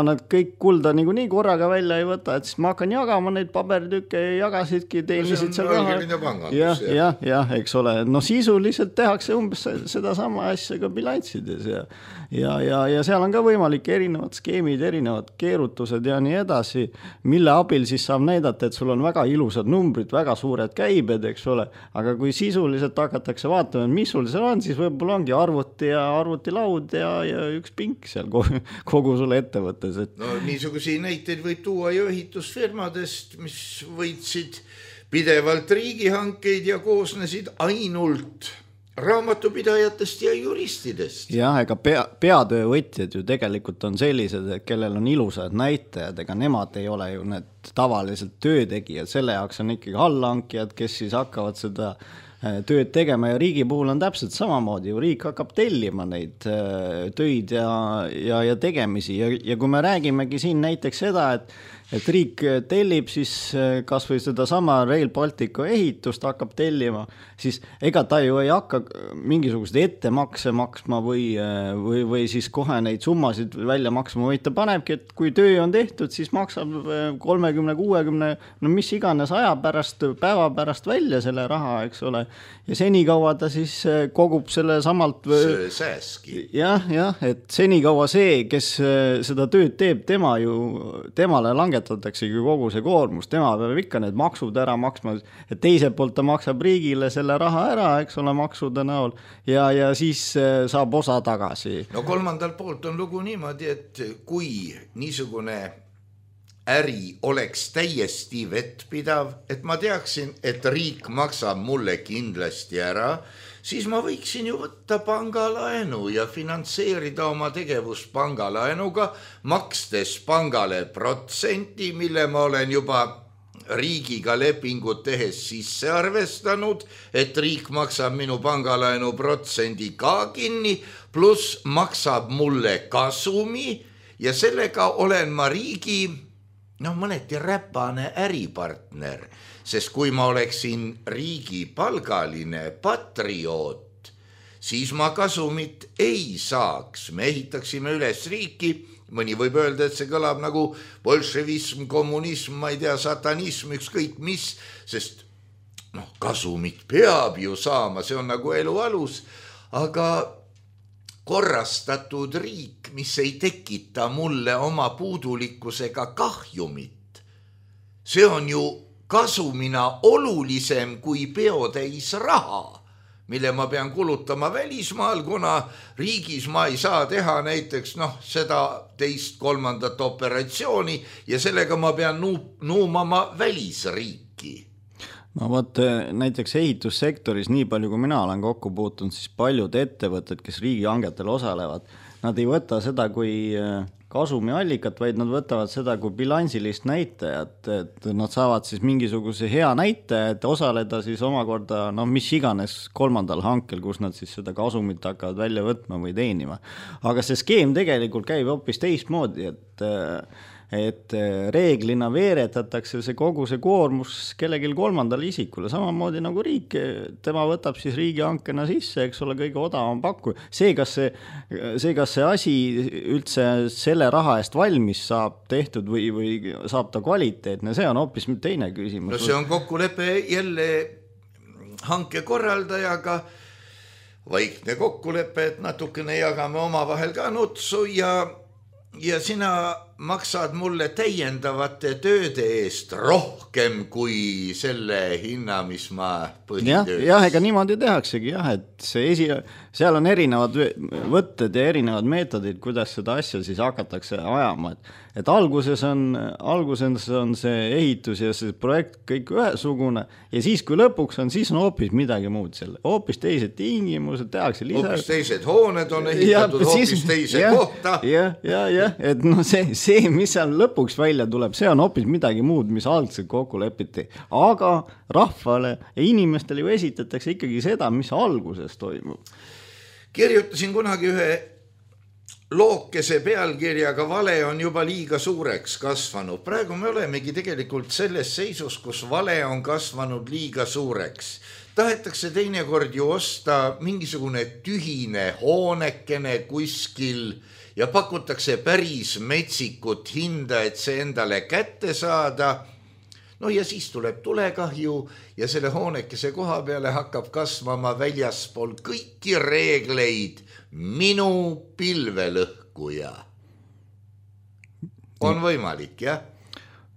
nad kõik kulda nii korraga välja ei võta, et siis ma hakkan jagama neid paberitükke ja jagasidki, teenisid seal raha. Jah, eks ole, sisuliselt tehakse umbes seda sama asja ka bilanssides ja seal on ka võimalik erinevad skeemid, erinevad keerutused ja nii edasi, mille abil siis saab näidata, et sul on väga ilusad numbrid, väga suured käibed, eks ole, aga kui sisuliselt hakatakse vaatama, mis sul seal on, siis võib-olla ongi arvuti ja arvutilaud ja üks pink seal kogu sulle ettevõttes. Niisuguseid näiteid võib tuua ju ehitusfirmadest, mis võitsid pidevalt riigihankeid ja koosnesid ainult raamatupidajatest ja juristidest. Jah, ega peatöövõtjad ju tegelikult on sellised, et kellel on ilusad näitajad, ega nemad ei ole ju need tavaliselt töötegijad, selle jaoks on ikkagi allhankijad, kes siis hakkavad seda tööd tegema ja riigi puhul on täpselt samamoodi ju, riik hakkab tellima neid töid ja tegemisi ja kui me räägimegi siin näiteks seda, et riik tellib siis kas või seda sama Rail Balticu ehitust hakkab tellima, siis ega ta ju ei hakka mingisugused ettemakse maksma või siis kohe neid summasid välja maksma, vaid ta panebki, et kui töö on tehtud, siis maksab 30-60, no mis iganes aja pärast, päeva pärast välja selle raha, eks ole, ja senikaua ta siis kogub selle samalt sääski. Jah, et senikaua see, kes seda tööd teeb, temale langetataksegi kogu see koormus, tema peab ikka need maksud ära maksma, et teiselt poolt ta maksab riigile selle raha ära, eks ole, maksude näol ja siis saab osa tagasi. No kolmandal poolt on lugu niimoodi, et kui niisugune äri oleks täiesti vettpidav, et ma teaksin, et riik maksab mulle kindlasti ära, siis ma võiksin ju võtta pangalaenu ja finantseerida oma tegevust pangalaenuga, makstes pangale protsenti, mille ma olen juba riigiga lepingut tehes sisse arvestanud, et riik maksab minu pangalaenu protsendi ka kinni, pluss maksab mulle kasumi ja sellega olen ma riigi mõneti räpane äripartner, sest kui ma oleksin riigi palgaline patrioot, siis ma kasumit ei saaks. Me ehitaksime üles riiki, mõni võib öelda, et see kõlab nagu bolševism, kommunism, ma ei tea, satanism, ükskõik mis, sest kasumit peab ju saama, see on nagu elu alus, aga korrastatud riik, mis ei tekita mulle oma puudulikkusega kahjumit. See on ju kasumina olulisem kui peotäis raha, mille ma pean kulutama välismaal, kuna riigis ma ei saa teha näiteks seda teist, kolmandat operatsiooni ja sellega ma pean nuumama välisriiki. No võt, näiteks ehitussektoris, nii palju kui mina olen kokku puutunud, siis paljud ettevõtted, kes riigihangetel osalevad, nad ei võta seda kui kasumiallikat, vaid nad võtavad seda kui bilansilist näitajat, et nad saavad siis mingisuguse hea näitaja, et osaleda siis omakorda, mis iganes kolmandal hankel, kus nad siis seda kasumit hakkavad välja võtma või teenima. Aga see skeem tegelikult käib hoopis teistmoodi, et reeglina veeretatakse see kogu see koormus kellelgi kolmandale isikule, samamoodi nagu riik, tema võtab siis riigihankena sisse, eks ole, kõige odavam pakkuja. See, kas see asi üldse selle raha eest valmis saab tehtud või saab ta kvaliteetne, see on hoopis teine küsimus. No see on kokkulepe jälle hankekorraldajaga, vaikne kokkulepe, et natukene jagame omavahel ka nutsu ja sina maksad mulle täiendavate tööde eest rohkem kui selle hinna, mis ma põhitöös. Jah, ega niimoodi tehaksegi, et seal on erinevad võtted ja erinevad meetodid, kuidas seda asja siis hakatakse ajama. Et alguses on see ehitus ja see projekt kõik ühesugune ja siis kui lõpuks on, siis on hoopis midagi muud selle. Hoopis teised tingimused, tehakse lisa. Hoopis teised hooned on ehitatud hoopis teise kohta. Ja, et see, mis seal lõpuks välja tuleb, see on hoopis midagi muud, mis algselt kokku lepiti. Aga rahvale ja inimestele ju esitatakse ikkagi seda, mis alguses toimub. Kirjutasin kunagi ühe lookese pealkirjaga vale on juba liiga suureks kasvanud. Praegu me olemegi tegelikult selles seisus, kus vale on kasvanud liiga suureks. Tahetakse teinekord ju osta mingisugune tühine hoonekene kuskil ja pakutakse päris metsikut hinda, et see endale kätte saada. No ja siis tuleb tulekahju ja selle hoonekese koha peale hakkab kasvama väljaspool kõiki reegleid minu pilvelõhkuja. On võimalik, jah?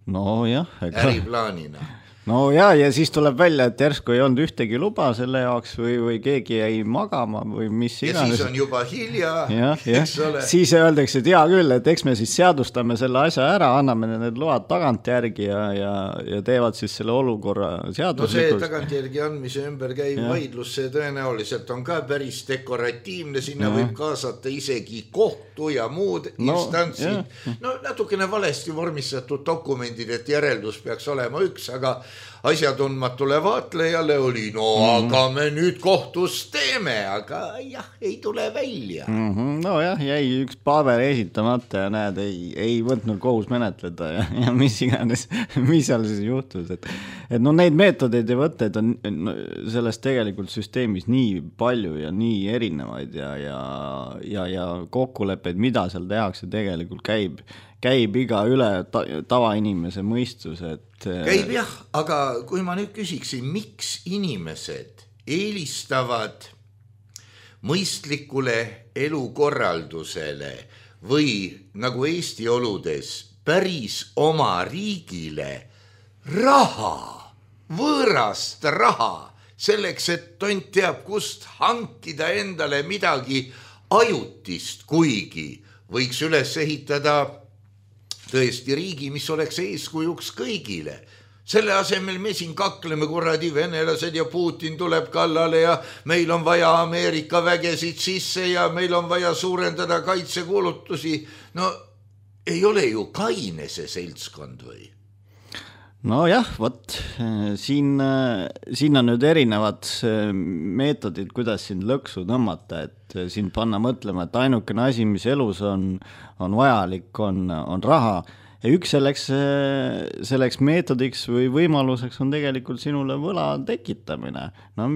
No jah. Äriplaanina. no ja siis tuleb välja, et järsku ei olnud ühtegi luba selle jaoks või keegi jäi magama või mis iganes. Ja siis on juba hilja, eks ole. Siis öeldakse, et hea küll, et eks me siis seadustame selle asja ära, anname need load tagantjärgi ja teevad siis selle olukorra seaduslikult. No see tagantjärgi andmise ümber käiv vaidlus, see tõenäoliselt on ka päris dekoratiivne, sinna võib kaasata isegi kohtu ja muud instantsid. No natukene valesti vormistatud dokumendid, et järeldus peaks olema üks, aga asjatundmatule vaatlejale oli, aga me nüüd kohtus teeme, aga jah, ei tule välja. No jah, jäi üks paber esitamata ja näed, ei võtnud kohus menetleda ja mis iganes, mis seal siis juhtus. Et no neid meetodeid ja võtteid on sellest tegelikult süsteemis nii palju ja nii erinevaid ja kokkuleppeid, mida seal tehakse, tegelikult käib iga üle tavainimese mõistus, et käib jah, aga kui ma nüüd küsiksin, miks inimesed eelistavad mõistlikule elukorraldusele või nagu Eesti oludes päris oma riigile raha, võõrast raha, selleks, et tont teab, kust hankida endale midagi ajutist, kuigi võiks üles ehitada tõesti riigi, mis oleks eeskujuks kõigile. Selle asemel me siin kakleme kuradi venelased ja Putin tuleb kallale ja meil on vaja Ameerika vägesid sisse ja meil on vaja suurendada kaitsekulutusi. No ei ole ju kaine see seltskond või? No jah, võt, siin on nüüd erinevad meetodid, kuidas sind lõksu tõmmata, et sind panna mõtlema, et ainukene asi, mis elus on vajalik, on raha. Ja üks selleks meetodiks või võimaluseks on tegelikult sinule võla tekitamine. No,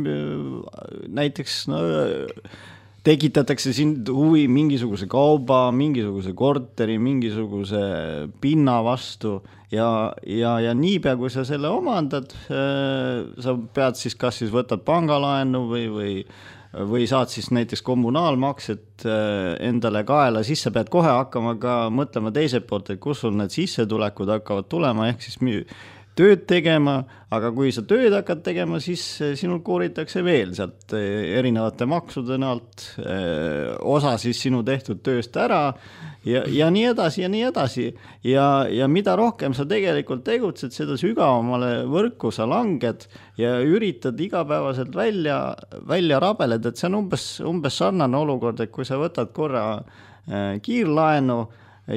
näiteks tekitatakse sind huvi mingisuguse kauba, mingisuguse korteri, mingisuguse pinna vastu ja niipea, kui sa selle omandad, sa pead siis kas siis võtad pangalaenu või saad siis näiteks kommunaalmakset endale kaela, siis sa pead kohe hakkama ka mõtlema teiselt poolt, et kus sul need sissetulekud hakkavad tulema, ehk siis tööd tegema, aga kui sa tööd hakkad tegema, siis sinul kooritakse veel sealt erinevate maksude näalt osa siis sinu tehtud tööst ära ja nii edasi ja nii edasi. Ja mida rohkem sa tegelikult tegutsed, seda sügavamale võrku sa langed ja üritad igapäevaselt välja rabeled, et see on umbes sarnane olukord, et kui sa võtad korra kiirlaenu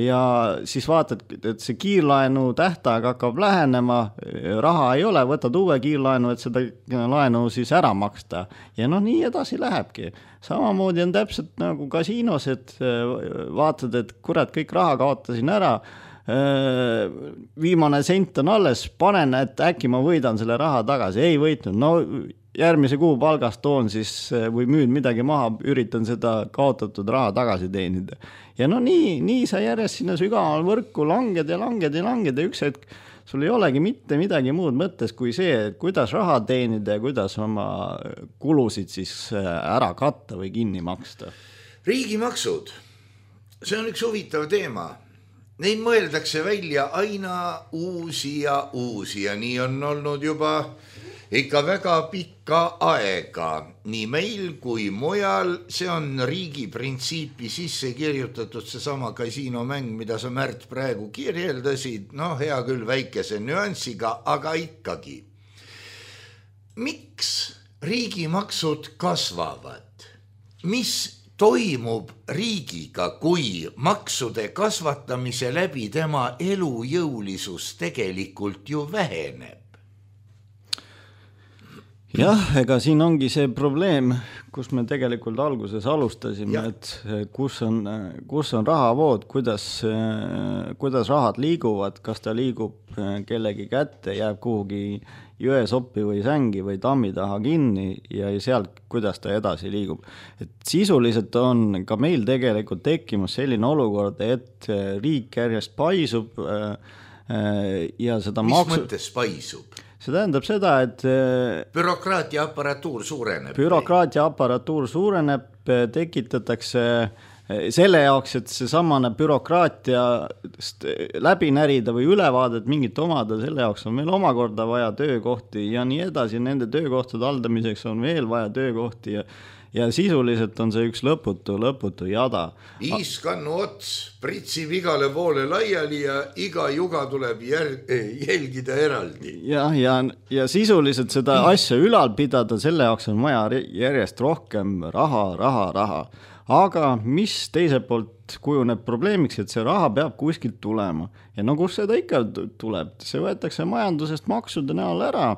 ja siis vaatad, et see kiirlaenu tähtaeg hakkab lähenema, raha ei ole, võtad uue kiirlaenu, et seda laenu siis ära maksta. Ja nii edasi lähebki. Samamoodi on täpselt nagu kasiinos, et vaatad, et kurat, kõik raha kaotasin ära, viimane sent on alles, panen, et äkki ma võidan selle raha tagasi. Ei võitnud, järgmise kuu palgast toon siis või müün midagi maha, üritan seda kaotatud raha tagasi teenida. Ja nii sa järjest sinna sügaval võrku langed ja üks hetk sul ei olegi mitte midagi muud mõttes kui see, kuidas raha teenida ja kuidas oma kulusid siis ära katta või kinni maksta. Riigimaksud, see on üks huvitav teema. Neid mõeldakse välja aina uusi ja nii on olnud juba ikka väga pikka aega, nii meil kui mujal. See on riigi printsiipi sisse kirjutatud, seesama kasiinomäng, mida sa Märt praegu kirjeldasid, hea küll väikese nüansiga, aga ikkagi. Miks riigimaksud kasvavad? Mis toimub riigiga, kui maksude kasvatamise läbi tema elujõulisus tegelikult ju väheneb? Jah, ega siin ongi see probleem, kus me tegelikult alguses alustasime, et kus on rahavood, kuidas rahad liiguvad, kas ta liigub kellegi kätte, jääb kuhugi jõesoppi või sängi või tammi taha kinni ja sealt, kuidas ta edasi liigub. Et sisuliselt on ka meil tegelikult tekkimas selline olukord, et riik järjest paisub ja seda Mis mõttes paisub? See tähendab seda, et bürokraatia aparatuur suureneb, tekitatakse selle jaoks, et see samane bürokraatia läbi närida või ülevaadet mingit omada, selle jaoks on meil omakorda vaja töökohti ja nii edasi, nende töökohtade haldamiseks on veel vaja töökohti ja sisuliselt on see üks lõputu jada. Iiskannu ots pritsib igale poole laiali ja iga juga tuleb jälgida eraldi. Ja sisuliselt seda asja ülal pidada, selle jaoks on vaja järjest rohkem raha. Aga mis teiselt poolt kujuneb probleemiks, et see raha peab kuskilt tulema. Ja no kus seda ikka tuleb? See võetakse majandusest maksude näol ära.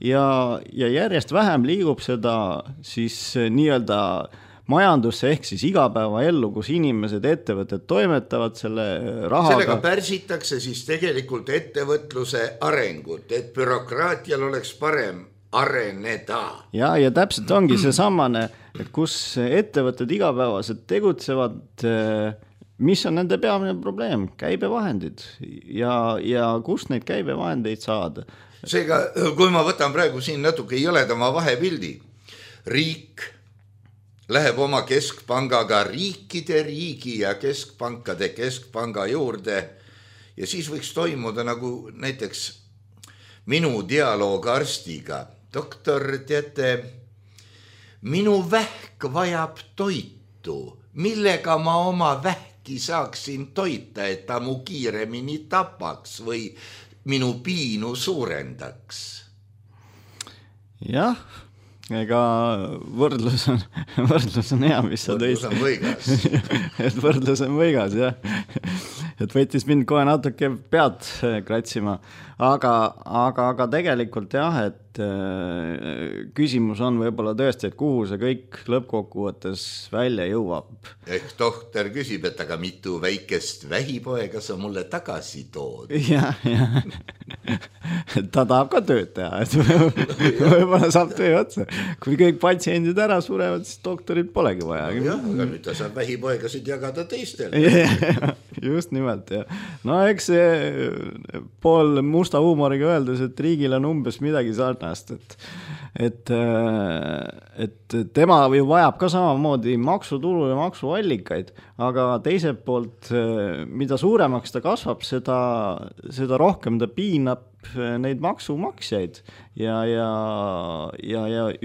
Ja järjest vähem liigub seda siis nii-öelda majandusse ehk siis igapäeva ellu, kus inimesed, ettevõtted toimetavad selle rahaga. Sellega pärsitakse siis tegelikult ettevõtluse arengut, et bürokraatial oleks parem areneda. Ja täpselt ongi see samane, et kus ettevõtted igapäevaselt tegutsevad, mis on nende peamine probleem? Käibevahendid ja kust neid käibevahendeid saada? Seega, kui ma võtan praegu siin natuke jõledama vahepildi, riik läheb oma keskpangaga riikide riigi ja keskpankade keskpanga juurde ja siis võiks toimuda nagu näiteks minu dialoog arstiga. Doktor, teate, minu vähk vajab toitu, millega ma oma vähki saaksin toita, et ta mu kiiremini tapaks või minu piinu suurendaks. Jah, ega võrdlus on hea, mis sa tõid. Võrdlus on võigas. Et võrdlus on võigas, jah. Et võttis mind kohe natuke pead kratsima. Aga tegelikult jah, et küsimus on võib-olla tõesti, et kuhu see kõik lõppkokkuvõttes välja jõuab. Ehk tohter küsib, et aga mitu väikest vähipoega sa mulle tagasi tood? Ja. Ta tahab ka tööd teha, et võib-olla saab töö otsa. Kui kõik patsiendid ära surevad, siis doktorit polegi vaja. Jah, aga nüüd ta saab vähipoegasid jagada teistel. Just nimelt, jah. No eks see pool musta huumoriga öeldes, et riigil on umbes midagi sarnast, et tema ju vajab ka samamoodi maksutulu ja maksuallikaid, aga teiselt poolt, mida suuremaks ta kasvab, seda rohkem ta piinab neid maksumaksjaid ja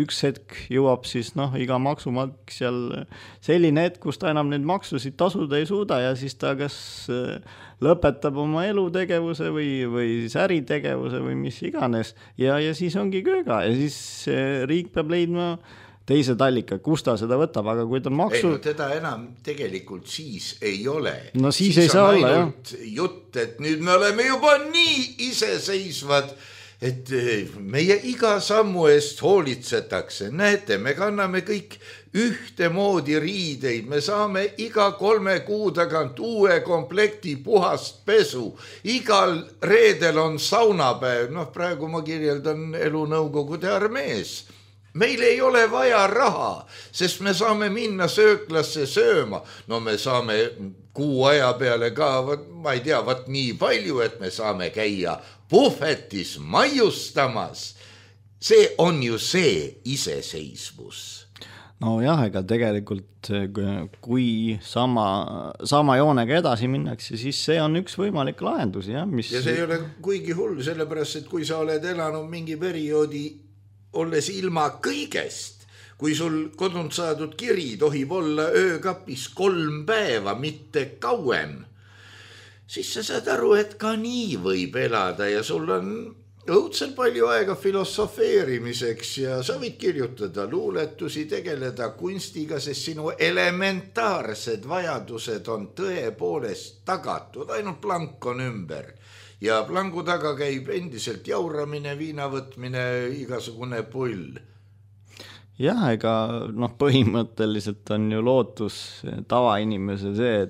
üks hetk jõuab siis iga maksumaksjal selline hetk, kus ta enam neid maksusid tasuda ei suuda ja siis ta kas lõpetab oma elutegevuse või siis äritegevuse või mis iganes ja siis ongi kööga ja siis riik peab leidma teised allikad, kus ta seda võtab, aga kui ta on maksu... Ei, no teda enam tegelikult siis ei ole. No siis ei saa olla, jah. Jutt, et nüüd me oleme juba nii iseseisvad, et meie iga sammu eest hoolitsetakse. Näete, me kanname kõik ühtemoodi riideid, me saame iga 3 kuu tagant uue komplekti puhast pesu. Igal reedel on saunapäev, praegu ma kirjeldan elu Nõukogude armees. Meil ei ole vaja raha, sest me saame minna sööklasse sööma. No me saame kuu aja peale ka, ma ei tea, nii palju, et me saame käia puhvetis maiustamas. See on ju see iseseisvus. No jah, ega tegelikult kui sama joonega edasi minnakse, siis see on üks võimalik lahendus. Ja see ei ole kuigi hull, sellepärast, et kui sa oled elanud mingi perioodi olles ilma kõigest, kui sul kodunt saadud kiri tohib olla öökapis 3 päeva, mitte kauem, siis sa saad aru, et ka nii võib elada ja sul on õudselt palju aega filosofeerimiseks ja sa võid kirjutada luuletusi, tegeleda kunstiga, sest sinu elementaarsed vajadused on tõepoolest tagatud, ainult plank on ümber. Ja plangu taga käib endiselt jauramine, viinavõtmine, igasugune pull. Jah, ega põhimõtteliselt on ju lootus tavainimese see,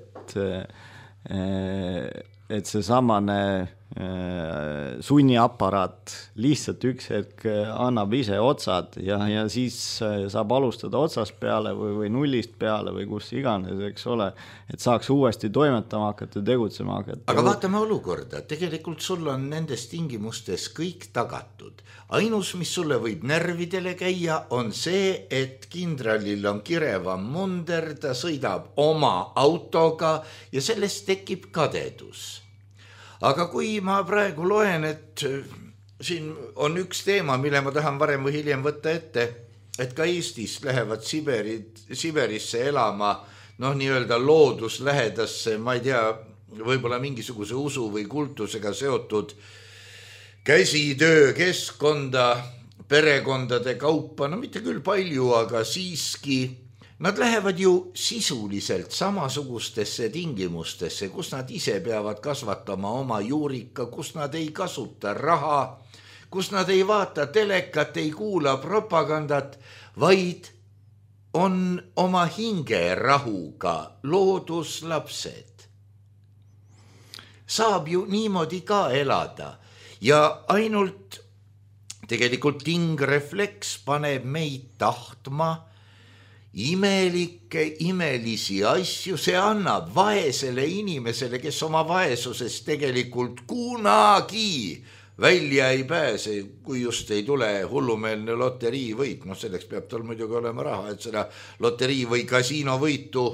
et see samane sunniaparaat lihtsalt üks hetk annab ise otsad ja siis saab alustada otsast peale või nullist peale või kus iganes, eks ole, et saaks uuesti toimetama hakata, tegutsema hakata. Aga vaatame olukorda, tegelikult sul on nendes tingimustes kõik tagatud. Ainus, mis sulle võib närvidele käia, on see, et kindralil on kirevam munder, ta sõidab oma autoga ja sellest tekib kadedus. Aga kui ma praegu loen, et siin on üks teema, mille ma tahan varem või hiljem võtta ette, et ka Eestist lähevad Siberisse elama, nii-öelda looduslähedasse, ma ei tea, võib-olla mingisuguse usu või kultusega seotud käsitöö, keskkonda, perekondade kaupa, mitte küll palju, aga siiski. Nad lähevad ju sisuliselt samasugustesse tingimustesse, kus nad ise peavad kasvatama oma juurika, kus nad ei kasuta raha, kus nad ei vaata telekat, ei kuula propagandat, vaid on oma hingerahuga looduslapsed. Saab ju niimoodi ka elada ja ainult tegelikult tingrefleks paneb meid tahtma imelisi asju, see annab vaesele inimesele, kes oma vaesusest tegelikult kunagi välja ei pääse, kui just ei tule hullumeelne loteriivõit. Selleks peab tal muidugi olema raha, et seda loterii- või kasiinovõitu,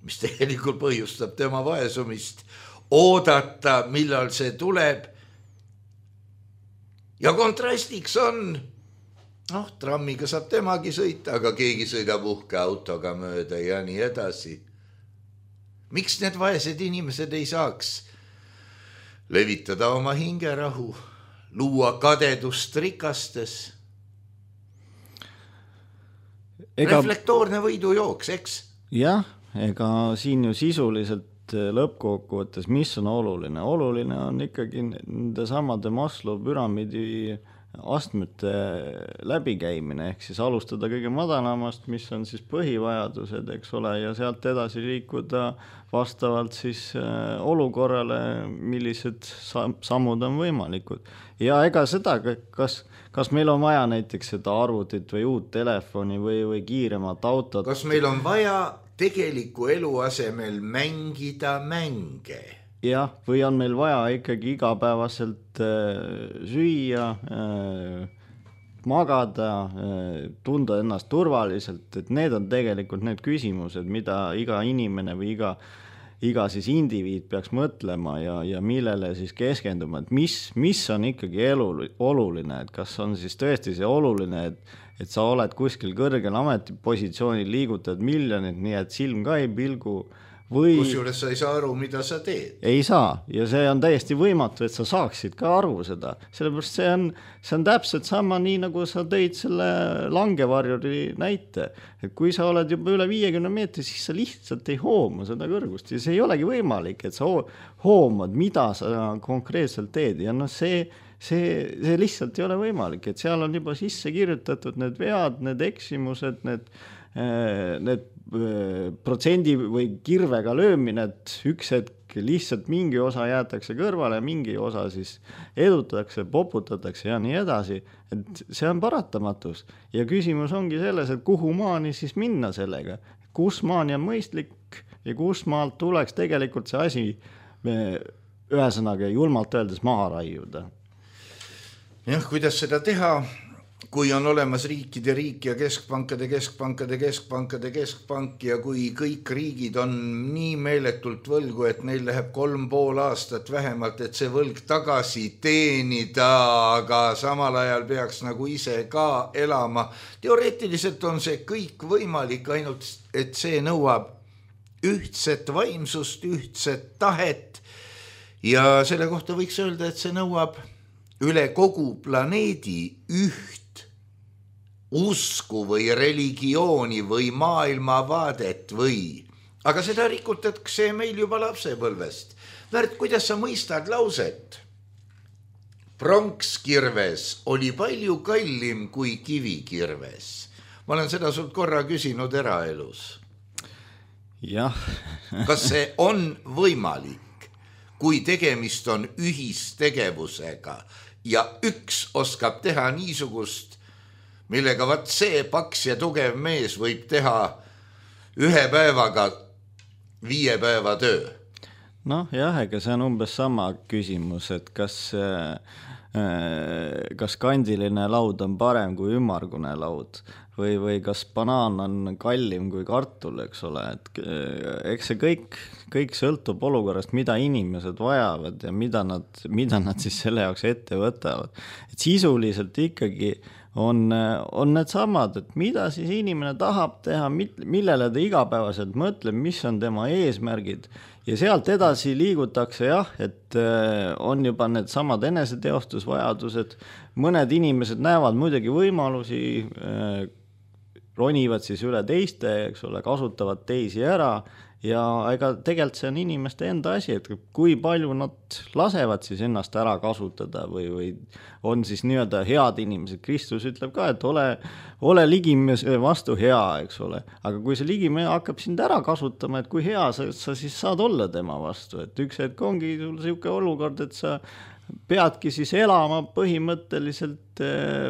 mis tegelikult põhjustab tema vaesumist, oodata, millal see tuleb. Ja kontrastiks on trammiga saab temagi sõita, aga keegi sõidab uhke autoga mööda ja nii edasi. Miks need vaesed inimesed ei saaks levitada oma hingerahu, luua kadedust rikastes? Reflektoorne võidujooks, eks? Jah, ega siin ju sisuliselt lõppkokkuvõttes, mis on oluline? Oluline on ikkagi nende samade Maslow püramiidi astmete läbikäimine, ehk siis alustada kõige madalamast, mis on siis põhivajadused, eks ole, ja sealt edasi liikuda vastavalt siis olukorrale, millised sammud on võimalikud. Ja ega seda, kas meil on vaja näiteks seda arvutit või uut telefoni või kiiremat autot? Kas meil on vaja tegeliku elu asemel mängida mänge? Jah, või on meil vaja ikkagi igapäevaselt süüa, magada, tunda ennast turvaliselt, et need on tegelikult need küsimused, mida iga inimene või iga siis indiviid peaks mõtlema ja millele siis keskenduma, et mis on ikkagi oluline, et kas on siis tõesti see oluline, et sa oled kuskil kõrgel ametipositsioonil, liigutad miljonit, nii et silm ka ei pilgu, kusjuures sa ei saa aru, mida sa teed. Ei saa, ja see on täiesti võimatu, et sa saaksid ka aru seda. Sellepärast see on täpselt sama nii, nagu sa tõid selle langevarjuri näite. Et kui sa oled juba üle 50 meetri, siis sa lihtsalt ei hooma seda kõrgust. Ja see ei olegi võimalik, et sa hoomad, mida sa konkreetselt teed. Ja see lihtsalt ei ole võimalik, et seal on juba sisse kirjutatud need vead, need eksimused, need protsendi või kirvega löömine, et üks hetk lihtsalt mingi osa jäetakse kõrvale, mingi osa siis edutatakse, poputatakse ja nii edasi, et see on paratamatus. Ja küsimus ongi selles, et kuhu maani siis minna sellega, kus maani on mõistlik ja kus maalt tuleks tegelikult see asi ühesõnaga julmalt öeldes maha raiuda. Jah, kuidas seda teha? Kui on olemas riikide riik ja keskpankade keskpank ja kui kõik riigid on nii meeletult võlgu, et neil läheb 3,5 aastat vähemalt, et see võlg tagasi teenida, aga samal ajal peaks nagu ise ka elama. Teoreetiliselt on see kõik võimalik, ainult et see nõuab ühtset vaimsust, ühtset tahet ja selle kohta võiks öelda, et see nõuab üle kogu planeedi üht usku või religiooni või maailmavaadet aga seda rikutakse meil juba lapsepõlvest. Märt, kuidas sa mõistad lauset? Pronkskirves oli palju kallim kui kivikirves. Ma olen seda sult korra küsinud eraelus. Jah. Kas see on võimalik? kui tegemist on ühistegevusega ja üks oskab teha niisugust, millega vaat see paks ja tugev mees võib teha 1 päevaga 5 päeva töö. Noh jah, ega see on umbes sama küsimus, et kas kandiline laud on parem kui ümmargune laud või kas banaan on kallim kui kartul, eks ole, et eks see kõik sõltub olukorrast, mida inimesed vajavad ja mida nad siis selle jaoks ette võtavad. Et sisuliselt ikkagi on need samad, et mida siis inimene tahab teha, millele ta igapäevaselt mõtleb, mis on tema eesmärgid ja sealt edasi liigutakse jah, et on juba need samad eneseteostusvajadused, mõned inimesed näevad muidugi võimalusi, ronivad siis üle teiste, eks ole, kasutavad teisi ära ja ega tegelikult see on inimeste enda asi, et kui palju nad lasevad siis ennast ära kasutada või on siis nii-öelda head inimesed. Kristus ütleb ka, et ole ligimehe vastu hea, eks ole. Aga kui see ligimehe hakkab sind ära kasutama, et kui hea sa siis saad olla tema vastu, et üks hetk ongi sul selline olukord, et sa peadki siis elama põhimõtteliselt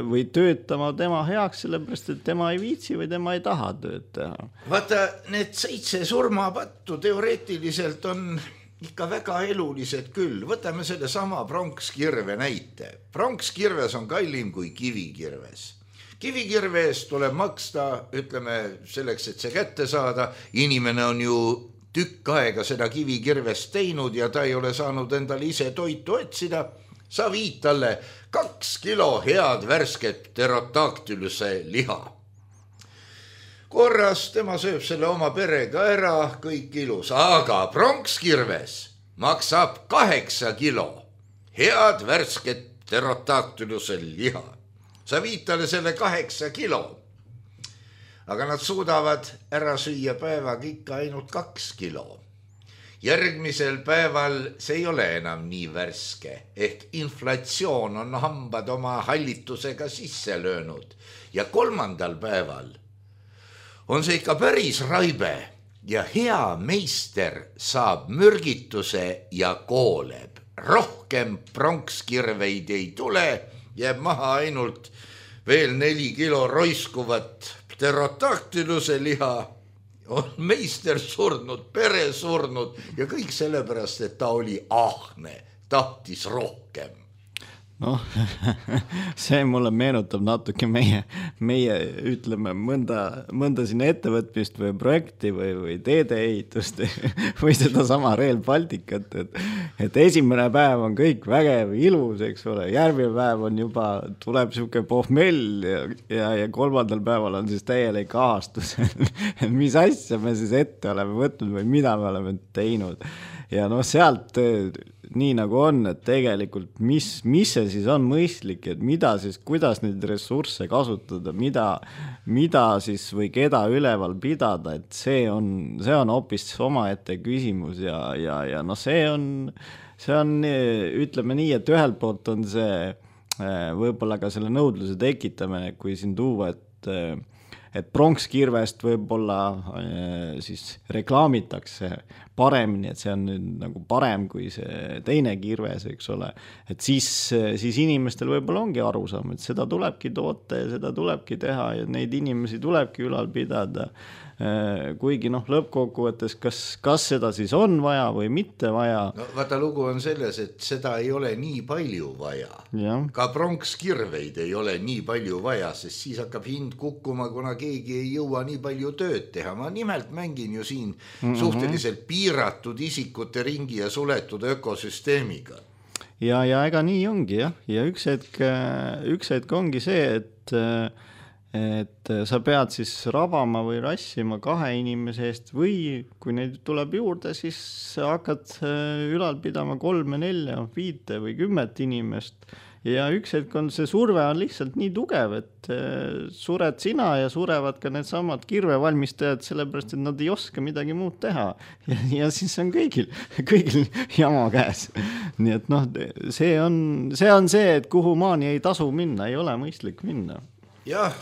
või töötama tema heaks, sellepärast, et tema ei viitsi või tema ei taha tööd teha. Vaata, need 7 surmapattu teoreetiliselt on ikka väga elulised küll. Võtame selle sama pronkskirve näite. Pronkskirves on kallim kui kivikirves. Kivikirve eest tuleb maksta, ütleme, selleks, et see kätte saada. Inimene on ju tükk aega seda kivikirvest teinud ja ta ei ole saanud endale ise toitu otsida. Sa viid talle 2 kilo head värsket pterodaktyluse liha. Korras tema sööb selle oma perega ära, kõik ilus, aga pronkskirves maksab 8 kilo head värsket pterodaktyluse liha. Sa viid talle selle 8 kilo. Aga nad suudavad ära süüa päevaga ikka ainult 2 kilo. Järgmisel päeval see ei ole enam nii värske, ehk inflatsioon on hambad oma hallitusega sisse löönud. Ja 3. päeval on see ikka päris raibe ja hea meister saab mürgituse ja kooleb. Rohkem pronkskirveid ei tule, jääb maha ainult veel 4 kilo roiskuvat pterodaktyluse liha, on meister surnud, pere surnud ja kõik sellepärast, et ta oli ahne, tahtis rohkem. Noh, see mulle meenutab natuke meie ütleme mõnda sinna ettevõtmist või projekti või teedeehitust või seda sama Rail Balticut, et esimene päev on kõik vägev, ilus, eks ole, järgmine päev on juba, tuleb siuke pohmell ja 3. päeval on siis täielik ahastus, mis asja me siis ette oleme võtnud või mida me oleme teinud. Ja noh, sealt nii nagu on, et tegelikult mis see siis on mõistlik, et mida siis, kuidas neid ressursse kasutada, mida siis või keda üleval pidada, et see on hoopis omaette küsimus ja noh, see on, ütleme nii, et ühelt poolt on see võib-olla ka selle nõudluse tekitamine, kui siin tuua, et pronkskirvest võib-olla siis reklaamitakse paremini, et see on nüüd nagu parem kui see teine kirves, eks ole. Et siis inimestel võib-olla ongi arusaam, et seda tulebki toota ja seda tulebki teha ja neid inimesi tulebki ülal pidada. Kuigi noh, lõppkokkuvõttes, kas seda siis on vaja või mitte vaja? No, vaata, lugu on selles, et seda ei ole nii palju vaja. Ja. Ka pronkskirveid ei ole nii palju vaja, sest siis hakkab hind kukkuma, kuna keegi ei jõua nii palju tööd teha. Ma nimelt mängin ju siin suhteliselt piiratud isikute ringi ja suletud ökosüsteemiga. Ja ega nii ongi, jah. Ja üks hetk ongi see, et sa pead siis rabama või rassima 2 inimese eest või kui neid tuleb juurde, siis sa hakkad ülal pidama 3, 4, 5 või 10 inimest ja üks hetk on see surve on lihtsalt nii tugev, et sured sina ja surevad ka need samad kirvevalmistajad, sellepärast, et nad ei oska midagi muud teha ja siis on kõigil jama käes. Nii et noh, see on see, et kuhu maani ei tasu minna, ei ole mõistlik minna. Jah,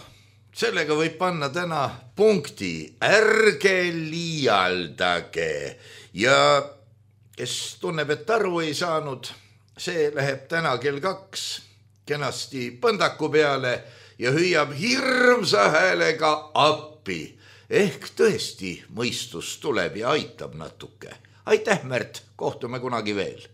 sellega võib panna täna punkti, ärge liialdage ja kes tunneb, et aru ei saanud, see läheb täna kell 2 kenasti põndaku peale ja hüüab hirmsa häälega appi. Ehk tõesti mõistus tuleb ja aitab natuke. Aitäh, Märt, kohtume kunagi veel.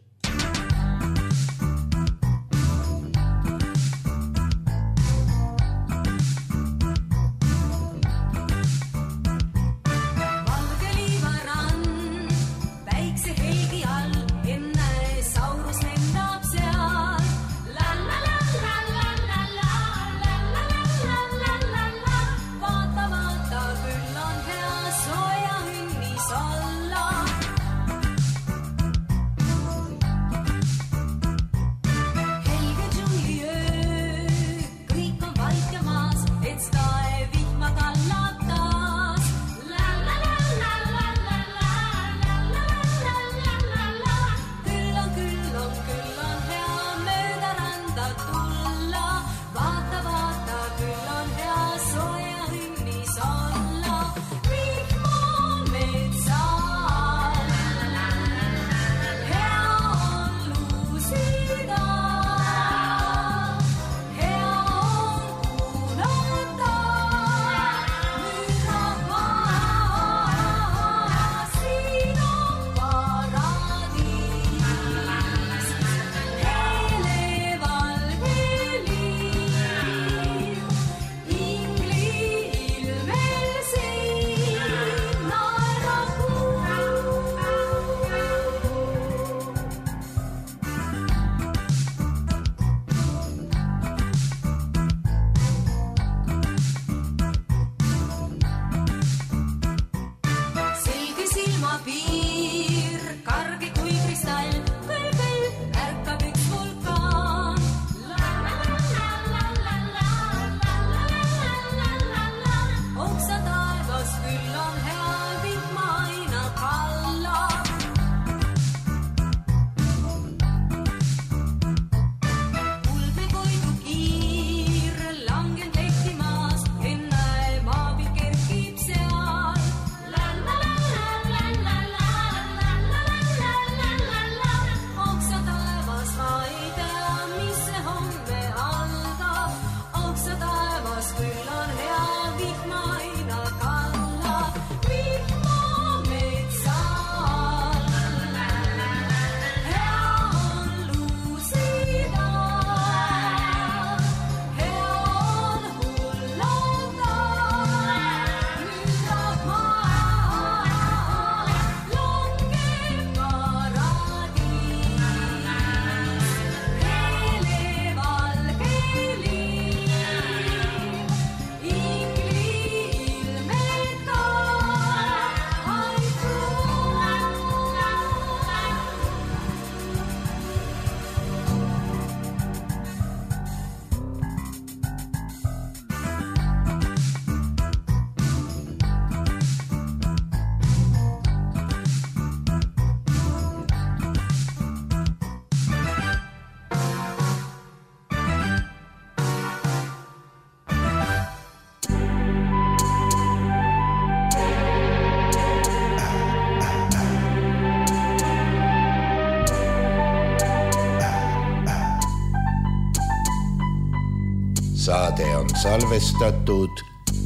Saade on salvestatud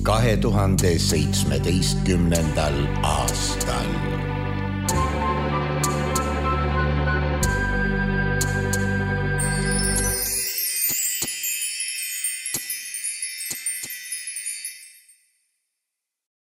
2017. aastal.